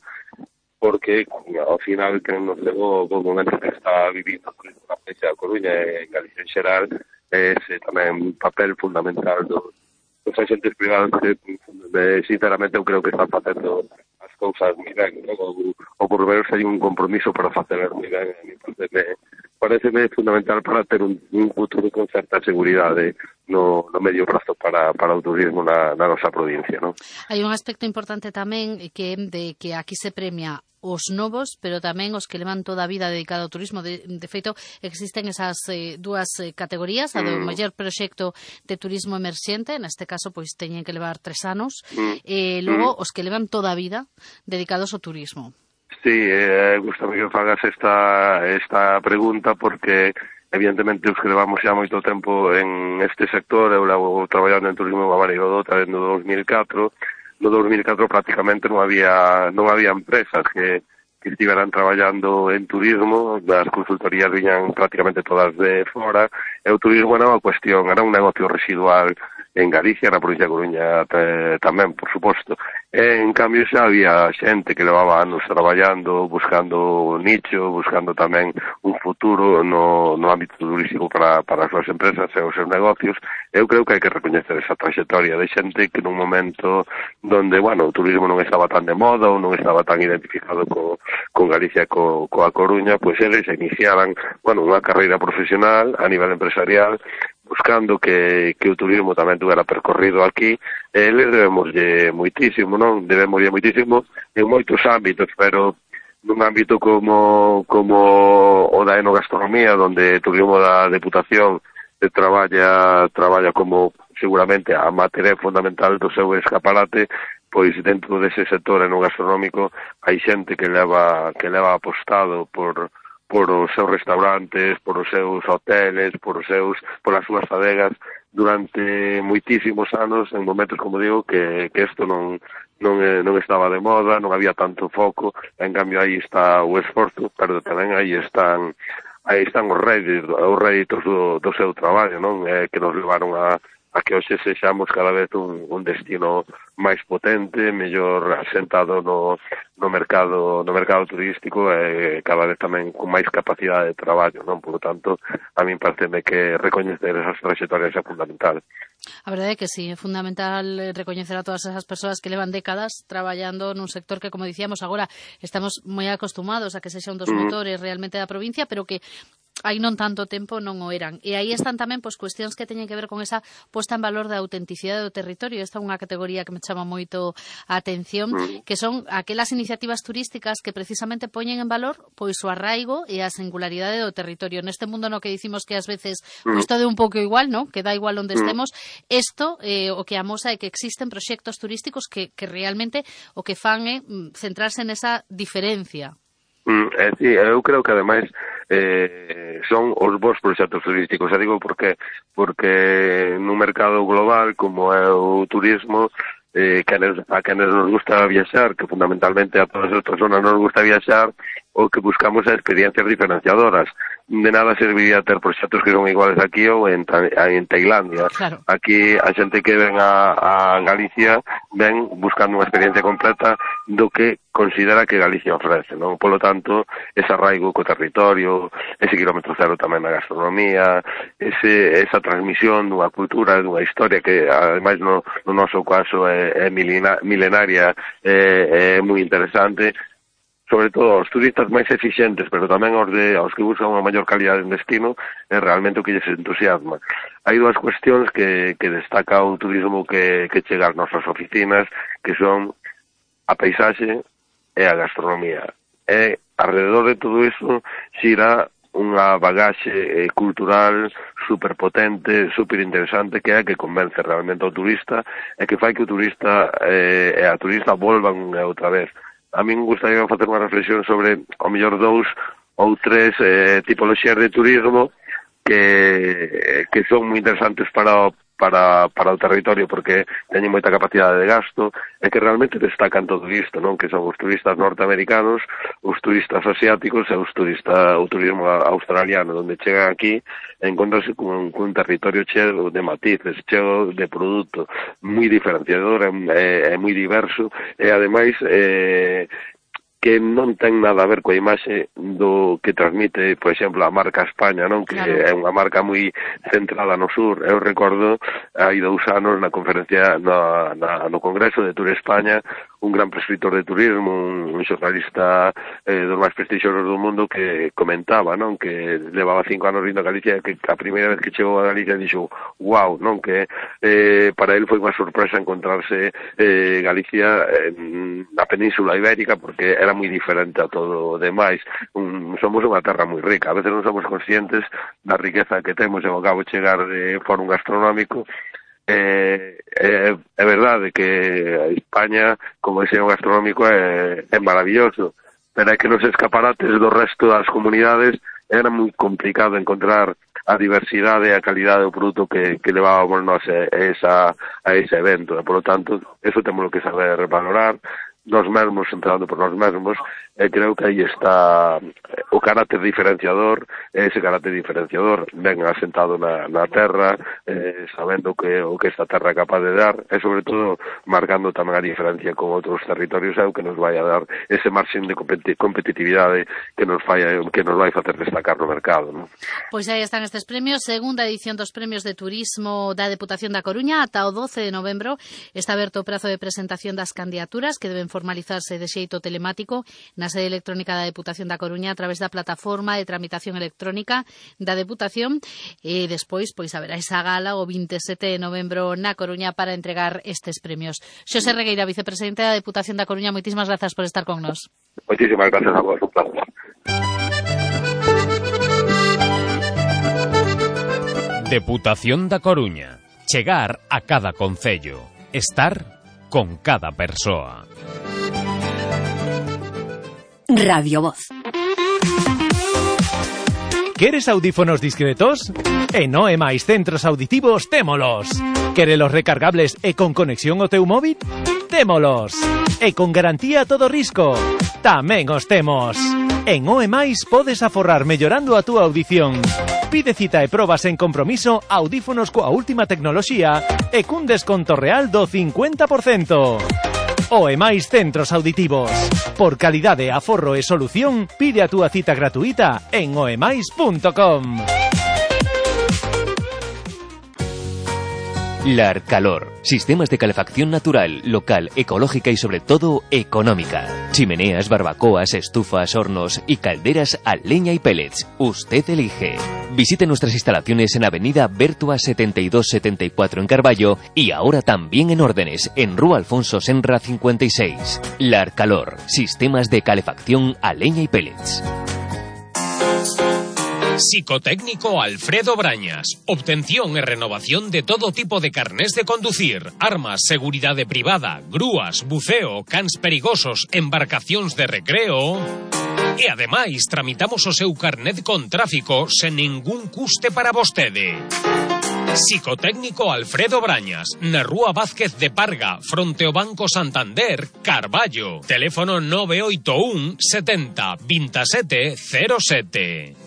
porque ao final que nos levou o momento que está vivindo a provincia da Coruña e en Galicia en xeral, é ese tamén papel fundamental do os agentes privados que, sinceramente, eu creo que están facendo as cousas moi ben, non? O, o por menos hai un compromiso para facelas moi ben. A mí pareceme, pareceme fundamental para ter un, un futuro con certa seguridade no, no medio prazo para, para o turismo na, na nosa provincia, non? Hai un aspecto importante tamén que de que aquí se premia os novos, pero tamén os que levan toda a vida dedicada ao turismo. De, de feito, existen esas eh, dúas eh, categorías, a do Mm. maior proxecto de turismo emerxente, neste caso, pois, teñen que levar tres anos, Mm. e logo Mm. os que levan toda a vida dedicados ao turismo. Sí, eh, gustame que fagas esta, esta pregunta porque evidentemente os que levamos xa moito tempo en este sector, eu levo traballando en turismo a Marigodota desde o dos mil catro. No dos mil catro prácticamente non había non había empresas que, que estiveran traballando en turismo, as consultorías viñan prácticamente todas de fora, e o turismo era unha cuestión, era un negocio residual en Galicia, na provincia de Coruña te, tamén, por suposto. E, en cambio, xa había xente que levaba anos traballando, buscando nicho, buscando tamén un futuro no, no ámbito turístico para, para as súas empresas e os seus negocios. Eu creo que hai que recoñecer esa trayectoria de xente que nun momento donde, bueno, o turismo non estaba tan de moda ou non estaba tan identificado co, con Galicia e co, coa Coruña, pois eles iniciaran, bueno, unha carreira profesional a nivel empresarial, buscando que, que o turismo tamén tuvera percorrido aquí, e eles debemoslle moitísimo, non? Debemoslle moitísimo en moitos ámbitos, pero nun ámbito como, como o da enogastronomía, donde o turismo da Deputación eh, traballa, traballa como seguramente a materia fundamental do seu escaparate, pois dentro dese sector enogastronómico hai xente que leva, que leva apostado por por os seus restaurantes, por os seus hoteles, por os seus, por as súas adegas durante moitísimos anos, en momentos, como digo, que, que isto non, non, non estaba de moda, non había tanto foco, en cambio aí está o esforzo, pero tamén aí están aí están os réditos, os réditos do, do seu traballo, non? Eh, que nos levaron a, a que hoxe sexamos cada vez un, un destino máis potente, mellor asentado no, no mercado no mercado turístico e cada vez tamén con máis capacidade de traballo, non? Por lo tanto, a min pareceme que recoñecer esas trayectorias é fundamental. A verdade é que sí, é fundamental recoñecer a todas esas persoas que levan décadas traballando nun sector que, como dicíamos, agora estamos moi acostumados a que sexa un dos motores realmente da provincia, pero que hai non tanto tempo non o eran. E aí están tamén pois, cuestións que teñen que ver con esa posta en valor da autenticidade do territorio. Esta é unha categoría que me chama moito a atención, que son aquelas iniciativas turísticas que precisamente poñen en valor pois o arraigo e a singularidade do territorio. Neste mundo no que dicimos que ás veces pois todo é un pouco igual, ¿no? Que dá igual onde estemos, isto eh, o que amosa é que existen proxectos turísticos que, que realmente o que fan é centrarse nesa diferencia. Mm, eh, sí, eu creo que ademais eh, son os bons proxectos turísticos. Eu digo porque porque nun mercado global como é o turismo, eh, que a quenes nos gusta viaxar, que fundamentalmente a todas as personas nos gusta viaxar, o que buscamos é experiencias diferenciadoras. De nada serviría ter proxectos que son iguales aquí ou en, en Tailandia. Claro. Aquí a xente que ven a, a Galicia ven buscando unha experiencia completa do que considera que Galicia ofrece, non? Polo tanto, ese arraigo co territorio, ese quilómetro cero tamén na gastronomía, ese, esa transmisión dunha cultura, dunha historia que, ademais, no, no noso caso é, é milenaria, é, é moi interesante, sobre todo aos turistas máis eficientes, pero tamén aos, de, aos que buscan unha maior calidade en destino, é realmente o que lles entusiasma. Hai dúas cuestións que, que destaca o turismo que, que chega ás nosas oficinas, que son a paisaxe e a gastronomía. E, alrededor de todo iso, xira unha bagaxe eh, cultural superpotente, superinteresante, que é que convence realmente ao turista e que fai que o turista eh, e a turista volvan outra vez. A min gustaría facer unha reflexión sobre, ao mellor, dous ou tres eh, tipoloxías de turismo que, que son moi interesantes para o para, para o territorio porque teñen moita capacidade de gasto e que realmente destacan todo isto, non? Que son os turistas norteamericanos, os turistas asiáticos e os turistas, o turismo australiano, onde chegan aquí e encontrarse con, con un territorio cheo de matices, cheo de produto moi diferenciador e, e moi diverso e ademais eh, que non ten nada a ver coa imaxe do que transmite, por exemplo, a marca España, non? Que claro. É unha marca moi centrada no sur. Eu recordo hai dous anos na conferencia na, na, no Congreso de Tour España, un gran prescritor de turismo, un, un xornalista eh, dos máis prestixiosos do mundo que comentaba, non? Que levaba cinco anos vindo a Galicia, que a primeira vez que chegou a Galicia dixo, wow, non? Que eh, para ele foi unha sorpresa encontrarse eh, Galicia en, na Península Ibérica, porque era moi diferente a todo o demais. Un, somos unha terra moi rica, a veces non somos conscientes da riqueza que temos e ao cabo chegar de fórum gastronómico. É, é, é verdade que España, como ensino gastronómico, é, é maravilloso, pero é que nos escaparates do resto das comunidades era moi complicado encontrar a diversidade e a calidade do produto que, que levábamos nós a, esa, a ese evento. E, por lo tanto, eso temos que saber valorar, nós mesmos, entrando por nós mesmos, e creo que aí está o carácter diferenciador, ese carácter diferenciador ben asentado na, na terra, eh, sabendo que o que esta terra é capaz de dar, e sobre todo marcando tamén a diferencia con outros territorios, é o que nos vai a dar ese marxen de competitividade que nos vai, que nos vai facer destacar no mercado, non? Pois aí están estes premios, segunda edición dos premios de turismo da Deputación da Coruña, ata o doce de novembro está aberto o prazo de presentación das candidaturas que deben formalizarse de xeito telemático na sede electrónica da Deputación da Coruña a través da plataforma de tramitación electrónica da Deputación e despois pois haberá esa gala o vinte e sete de novembro na Coruña para entregar estes premios. Xosé Regueira, vicepresidente da Deputación da Coruña, moitísimas grazas por estar con nós. Moitísimas grazas a vos, un placer. Deputación da Coruña. Chegar a cada concello. Estar con cada persoa. Radio Voz. Queres audífonos discretos? En O E máis Centros Auditivos témolos. Querelos recargables e con conexión ao teu móvil? Témolos. E con garantía a todo risco? Tamén os temos. En O E máis podes aforrar mellorando a túa audición. Pide cita e probas en compromiso audífonos coa última tecnoloxía e cun desconto real do cincuenta por cento. O e máis centros auditivos. Por calidade, aforro e solución, pide a túa cita gratuita en oemais punto com. Larcalor. Sistemas de calefacción natural, local, ecológica y sobre todo económica. Chimeneas, barbacoas, estufas, hornos y calderas a leña y pellets. Usted elige. Visite nuestras instalaciones en Avenida Bertua setenta y dos setenta y cuatro en Carballo y ahora también en Órdenes, en Rúa Alfonso Senra cincuenta y seis. Larcalor. Sistemas de calefacción a leña y pellets. Psicotécnico Alfredo Brañas. Obtención e renovación de todo tipo de carnés de conducir, armas, seguridade privada, grúas, buceo, cans perigosos, embarcacións de recreo. E ademais tramitamos o seu carnet con tráfico sen ningún custe para vostede. Psicotécnico Alfredo Brañas, na Rúa Vázquez de Parga, fronte ao Banco Santander, Carballo. Teléfono nove oito un setenta veintisiete cero sete.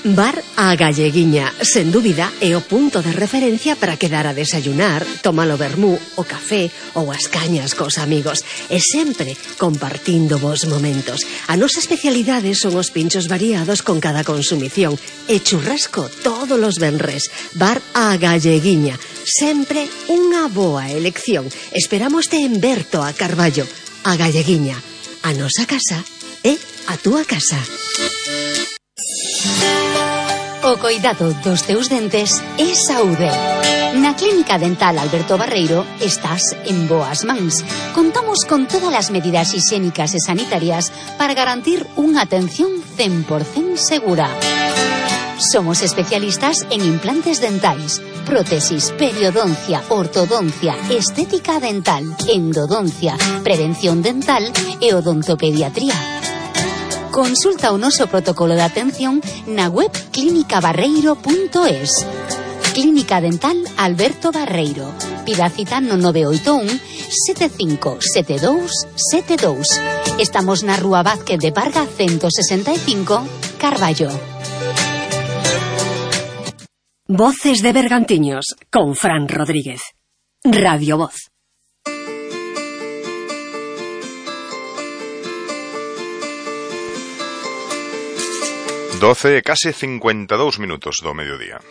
Bar A Galleguiña, sen dúbida, é o punto de referencia para quedar a desayunar, tomar o vermú, o café ou as cañas cos amigos e sempre compartindo vos momentos. A nosa especialidade son os pinchos variados con cada consumición e churrasco todos os venres. Bar A Galleguiña, sempre unha boa elección. Esperámoste en Berto a Carballo. A Galleguiña, a nosa casa é a túa casa. O coidado dos teus dentes é saúde. Na Clínica Dental Alberto Barreiro estás en boas mans. Contamos con todas as medidas higiénicas e sanitarias para garantir unha atención cen por cento segura. Somos especialistas en implantes dentais, prótesis, periodoncia, ortodoncia, estética dental, endodoncia, prevención dental e odontopediatría. Consulta o noso protocolo de atención na web clínica barreiro punto es. Clínica Dental Alberto Barreiro. Pida cita no nove oito un sete cinco sete dous sete dous. Estamos na Rúa Vázquez de Parga ciento sesenta e cinco, Carballo. Voces de Bergantiños con Fran Rodríguez. Radio Voz. doce, case cincuenta e dous minutos do mediodía.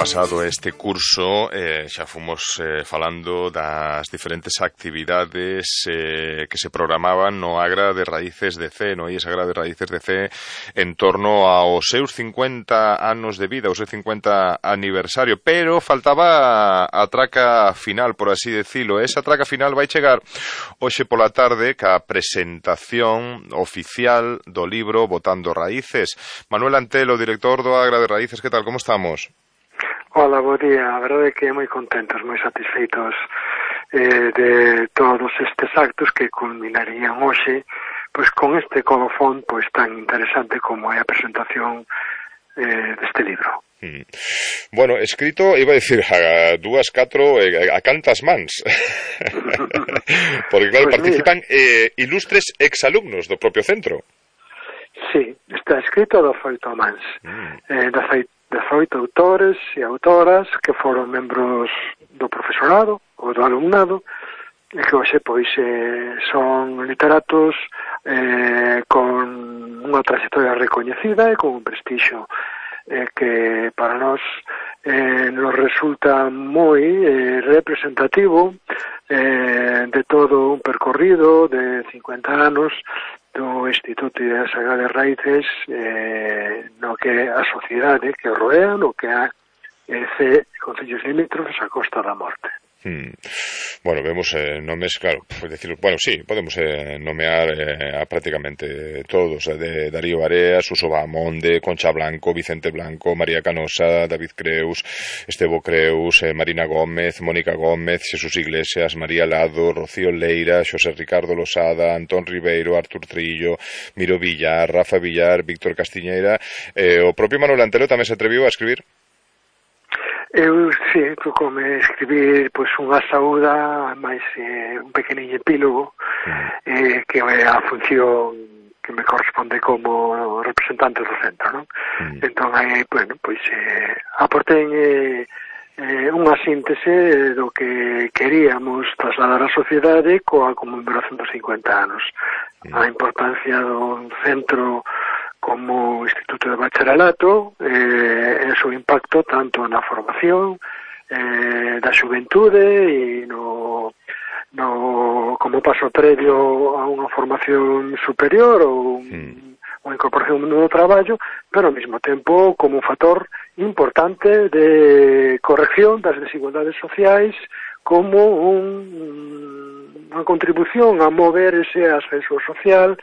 Pasado este curso eh, xa fomos eh, falando das diferentes actividades eh, que se programaban no Agra de Raíces de C, no? E esa Agra de Raíces de C en torno aos seus cincuenta anos de vida, o seu cincuenta aniversario, pero faltaba a traca final, por así decirlo. Esa traca final vai chegar hoxe pola tarde ca presentación oficial do libro Botando Raíces. Manuel Antelo, director do Agra de Raíces, que tal, como estamos? Hola, bo día. A verdade é que moi contentos, moi satisfeitos eh, de todos estes actos que culminarían hoxe pois con este colofón pois tan interesante como é a presentación eh, deste libro. Mm. Bueno, escrito, iba a decir, a dúas, catro, a cantas mans. Porque, claro, pues participan eh, ilustres exalumnos do propio centro. Sí, está escrito do feito mans. Mm. Eh, da feito dezoito autores e autoras que foron membros do profesorado ou do alumnado e que hoxe pois eh, son literatos eh, con unha trayectoria recoñecida e con un prestixio eh, que para nós eh, nos resulta moi eh, representativo eh, de todo un percorrido de cincuenta anos do Instituto de Sagrada Raíces eh, no que a sociedade que rodea, no que a eh, C, Concellos Limítrofes a Costa da Morte. Hmm. Bueno, vemos eh, nomes, claro, pues decir, bueno, sí, podemos eh, nomear eh, a prácticamente todos, eh, de Darío Areas, Suso Bahamonde, Concha Blanco, Vicente Blanco, María Canosa, David Creus, Estevo Creus, eh, Marina Gómez, Mónica Gómez, Jesús Iglesias, María Lado, Rocío Leira, Xosé Ricardo Losada, Antón Ribeiro, Artur Trillo, Miro Villar, Rafa Villar, Víctor Castiñeira, eh, o propio Manuel Antelo tamén se atreviu a escribir? Eu, sí, tocoume escribir pois unha saúda, máis eh, un pequeniño epílogo, eh, que é a función que me corresponde como representante do centro, non? Mm. Entón, aí, bueno, pois, eh, aportei eh, eh, unha síntese do que queríamos trasladar á sociedade coa conmemoración dos cincuenta anos. Mm. A importancia do centro como Instituto de Bacharelato, eh, e o seu impacto tanto na formación eh, da xuventude e no, no como paso previo a unha formación superior ou mm. unha incorporación ao mundo do traballo, pero ao mesmo tempo como un factor importante de corrección das desigualdades sociais, como un, unha contribución a mover ese ascenso social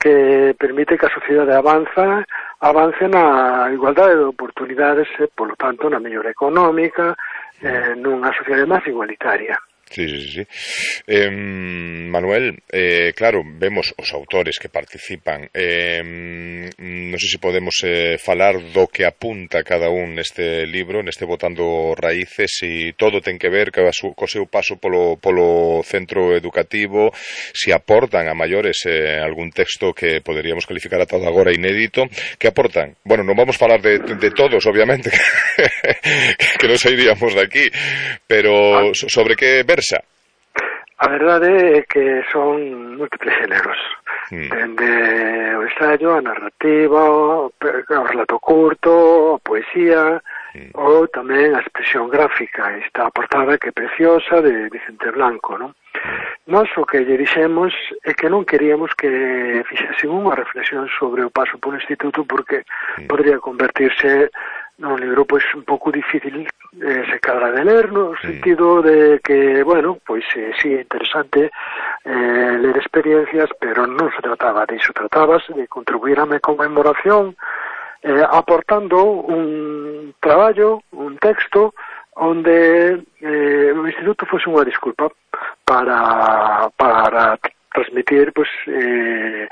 que permite que a sociedade avanza, avance na igualdade de oportunidades e, polo tanto, na mellora económica, eh, nunha sociedade máis igualitaria. Sí, sí, sí. Eh, Manuel, eh, claro, vemos os autores que participan. Eh, non sei se podemos eh, falar do que apunta cada un neste libro, neste Botando Raíces, e todo ten que ver co seu paso polo, polo centro educativo, se aportan a maiores eh, algún texto que poderíamos calificar ata agora inédito. Que aportan? Bueno, non vamos falar de, de todos, obviamente, que non sairíamos de aquí, pero sobre que ver. A verdade é que son múltiples géneros, mm. dende o ensaio, a narrativa, o, o relato curto, a poesía, mm. ou tamén a expresión gráfica, esta portada que é preciosa de Vicente Blanco, non? Mm. Nós o que lle dixemos é que non queríamos que fixesen unha reflexión sobre o paso polo instituto, porque mm. podría convertirse un libro pois un pouco difícil eh, se cadra de ler, no sentido de que, bueno, pois eh, sí, é interesante eh, ler experiencias, pero non se trataba de iso, tratábase de contribuir á me conmemoración eh, aportando un traballo, un texto onde eh, o instituto fose unha disculpa para, para transmitir pois, eh,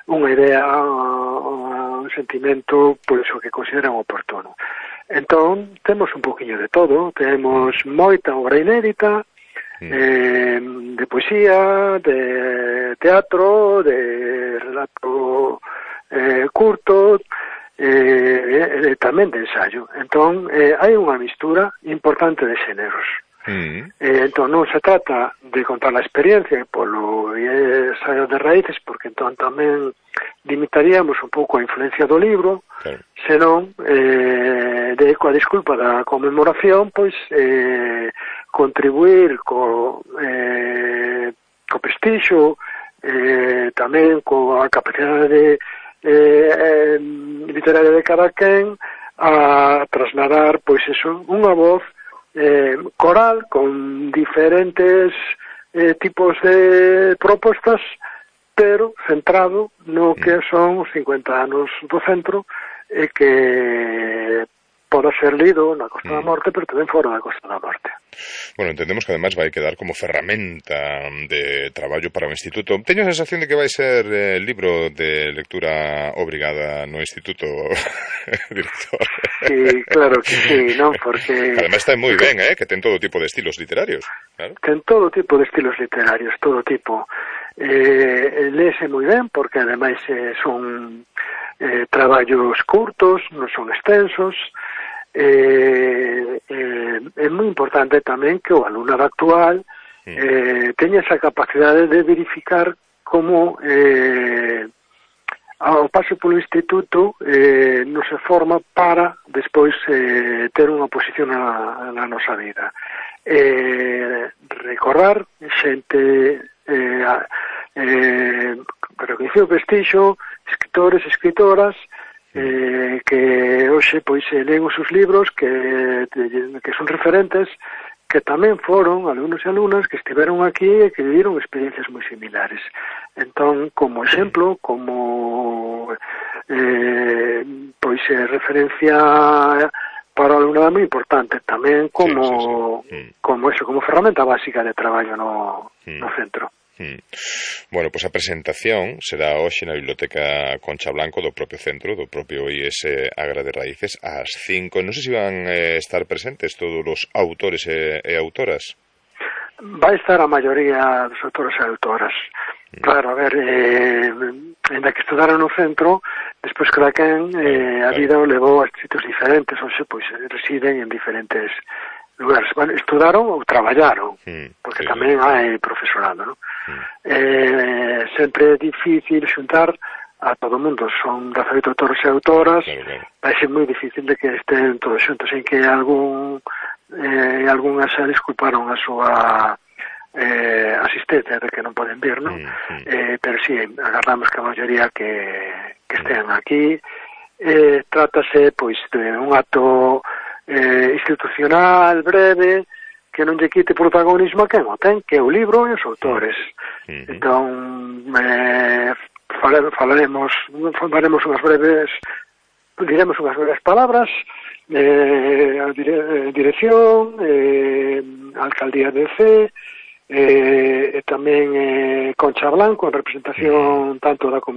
unha idea, un sentimento, por iso que consideran oportuno. Entón, temos un poquinho de todo, temos moita obra inédita, mm. eh, de poesía, de teatro, de relato eh, curto, eh, e tamén de ensayo. Entón, eh, hai unha mistura importante de xéneros. Mm. Eh, entón non se trata de contar a experiencia polo ensaio de raíces, porque entón tamén limitaríamos un pouco a influencia do libro, claro. Senón eh, de, coa disculpa da conmemoración, pois eh, contribuir co, eh, co prestixio, eh, tamén coa capacidade de, eh, literaria de cada quen a trasladar, pois eso, unha voz Eh, coral con diferentes eh, tipos de propostas, pero centrado no que son os cincuenta anos do centro e que poda ser lido na Costa da Morte, pero tamén fora da Costa da Morte. Bueno, entendemos que además vai quedar como ferramenta de traballo para o Instituto. Teño a sensación de que vai ser eh, libro de lectura obrigada no Instituto, director. Sí, claro que sí, non? Porque además está moi ben, eh, que ten todo tipo de estilos literarios. Claro. Ten todo tipo de estilos literarios, todo tipo. Eh, léese moi ben, porque ademais eh, son eh, traballos curtos, non son extensos. Eh, eh, é moi importante tamén que o alumnado actual eh, teña esa capacidade de verificar como eh, ao paso polo instituto eh, non se forma para despois eh, ter unha posición na, na nosa vida. Eh, recordar xente eh, eh, recoñecido prestixio, escritores, escritoras, Eh, que hoxe pois leen os seus libros que, que son referentes, que tamén foron alumnos e alumnas que estiveron aquí e que viviron experiencias moi similares. Entón, como exemplo, como eh, pois é referencia para o alumnado moi importante, tamén como sí, sí, sí. como eso, como ferramenta básica de traballo no, mm. no centro. Mm. Bueno, pois pues a presentación será hoxe na Biblioteca Concha Blanco do propio centro, do propio I S Agra de Raíces, ás cinco. Non sei se van eh, estar presentes todos os autores e, e autoras. Vai estar a maioría dos autores e autoras. Mm. Claro, a ver, eh, ainda que estudaron no centro, despois cada quen eh, a vida o levou a sitios diferentes, ou se, pois, residen en diferentes lugares. Bueno, estudaron ou traballaron, mm, porque sí, tamén sí. hai profesorado, non? Mm. Eh, sempre é difícil xuntar a todo o mundo, son dezaoito autores e autoras, claro, claro. Vai ser moi difícil de que estén todos xuntos, en que algún eh, algunhas se disculparon a súa eh, asistencia de que non poden vir, non? Mm, mm. Eh, pero si, sí, agardamos que a maioría que, que estén aquí. Eh, trátase, pois, de un acto Eh, institucional, breve, que non lle quite protagonismo a quen o ten, que é o libro e os autores. Uh-huh. Entón, eh, fale, falaremos, faremos unhas breves, diremos unhas breves palabras, eh, a dire, dirección, eh, alcaldía de C, eh, e tamén eh, Concha Blanco, en representación uh-huh. tanto da Comunidade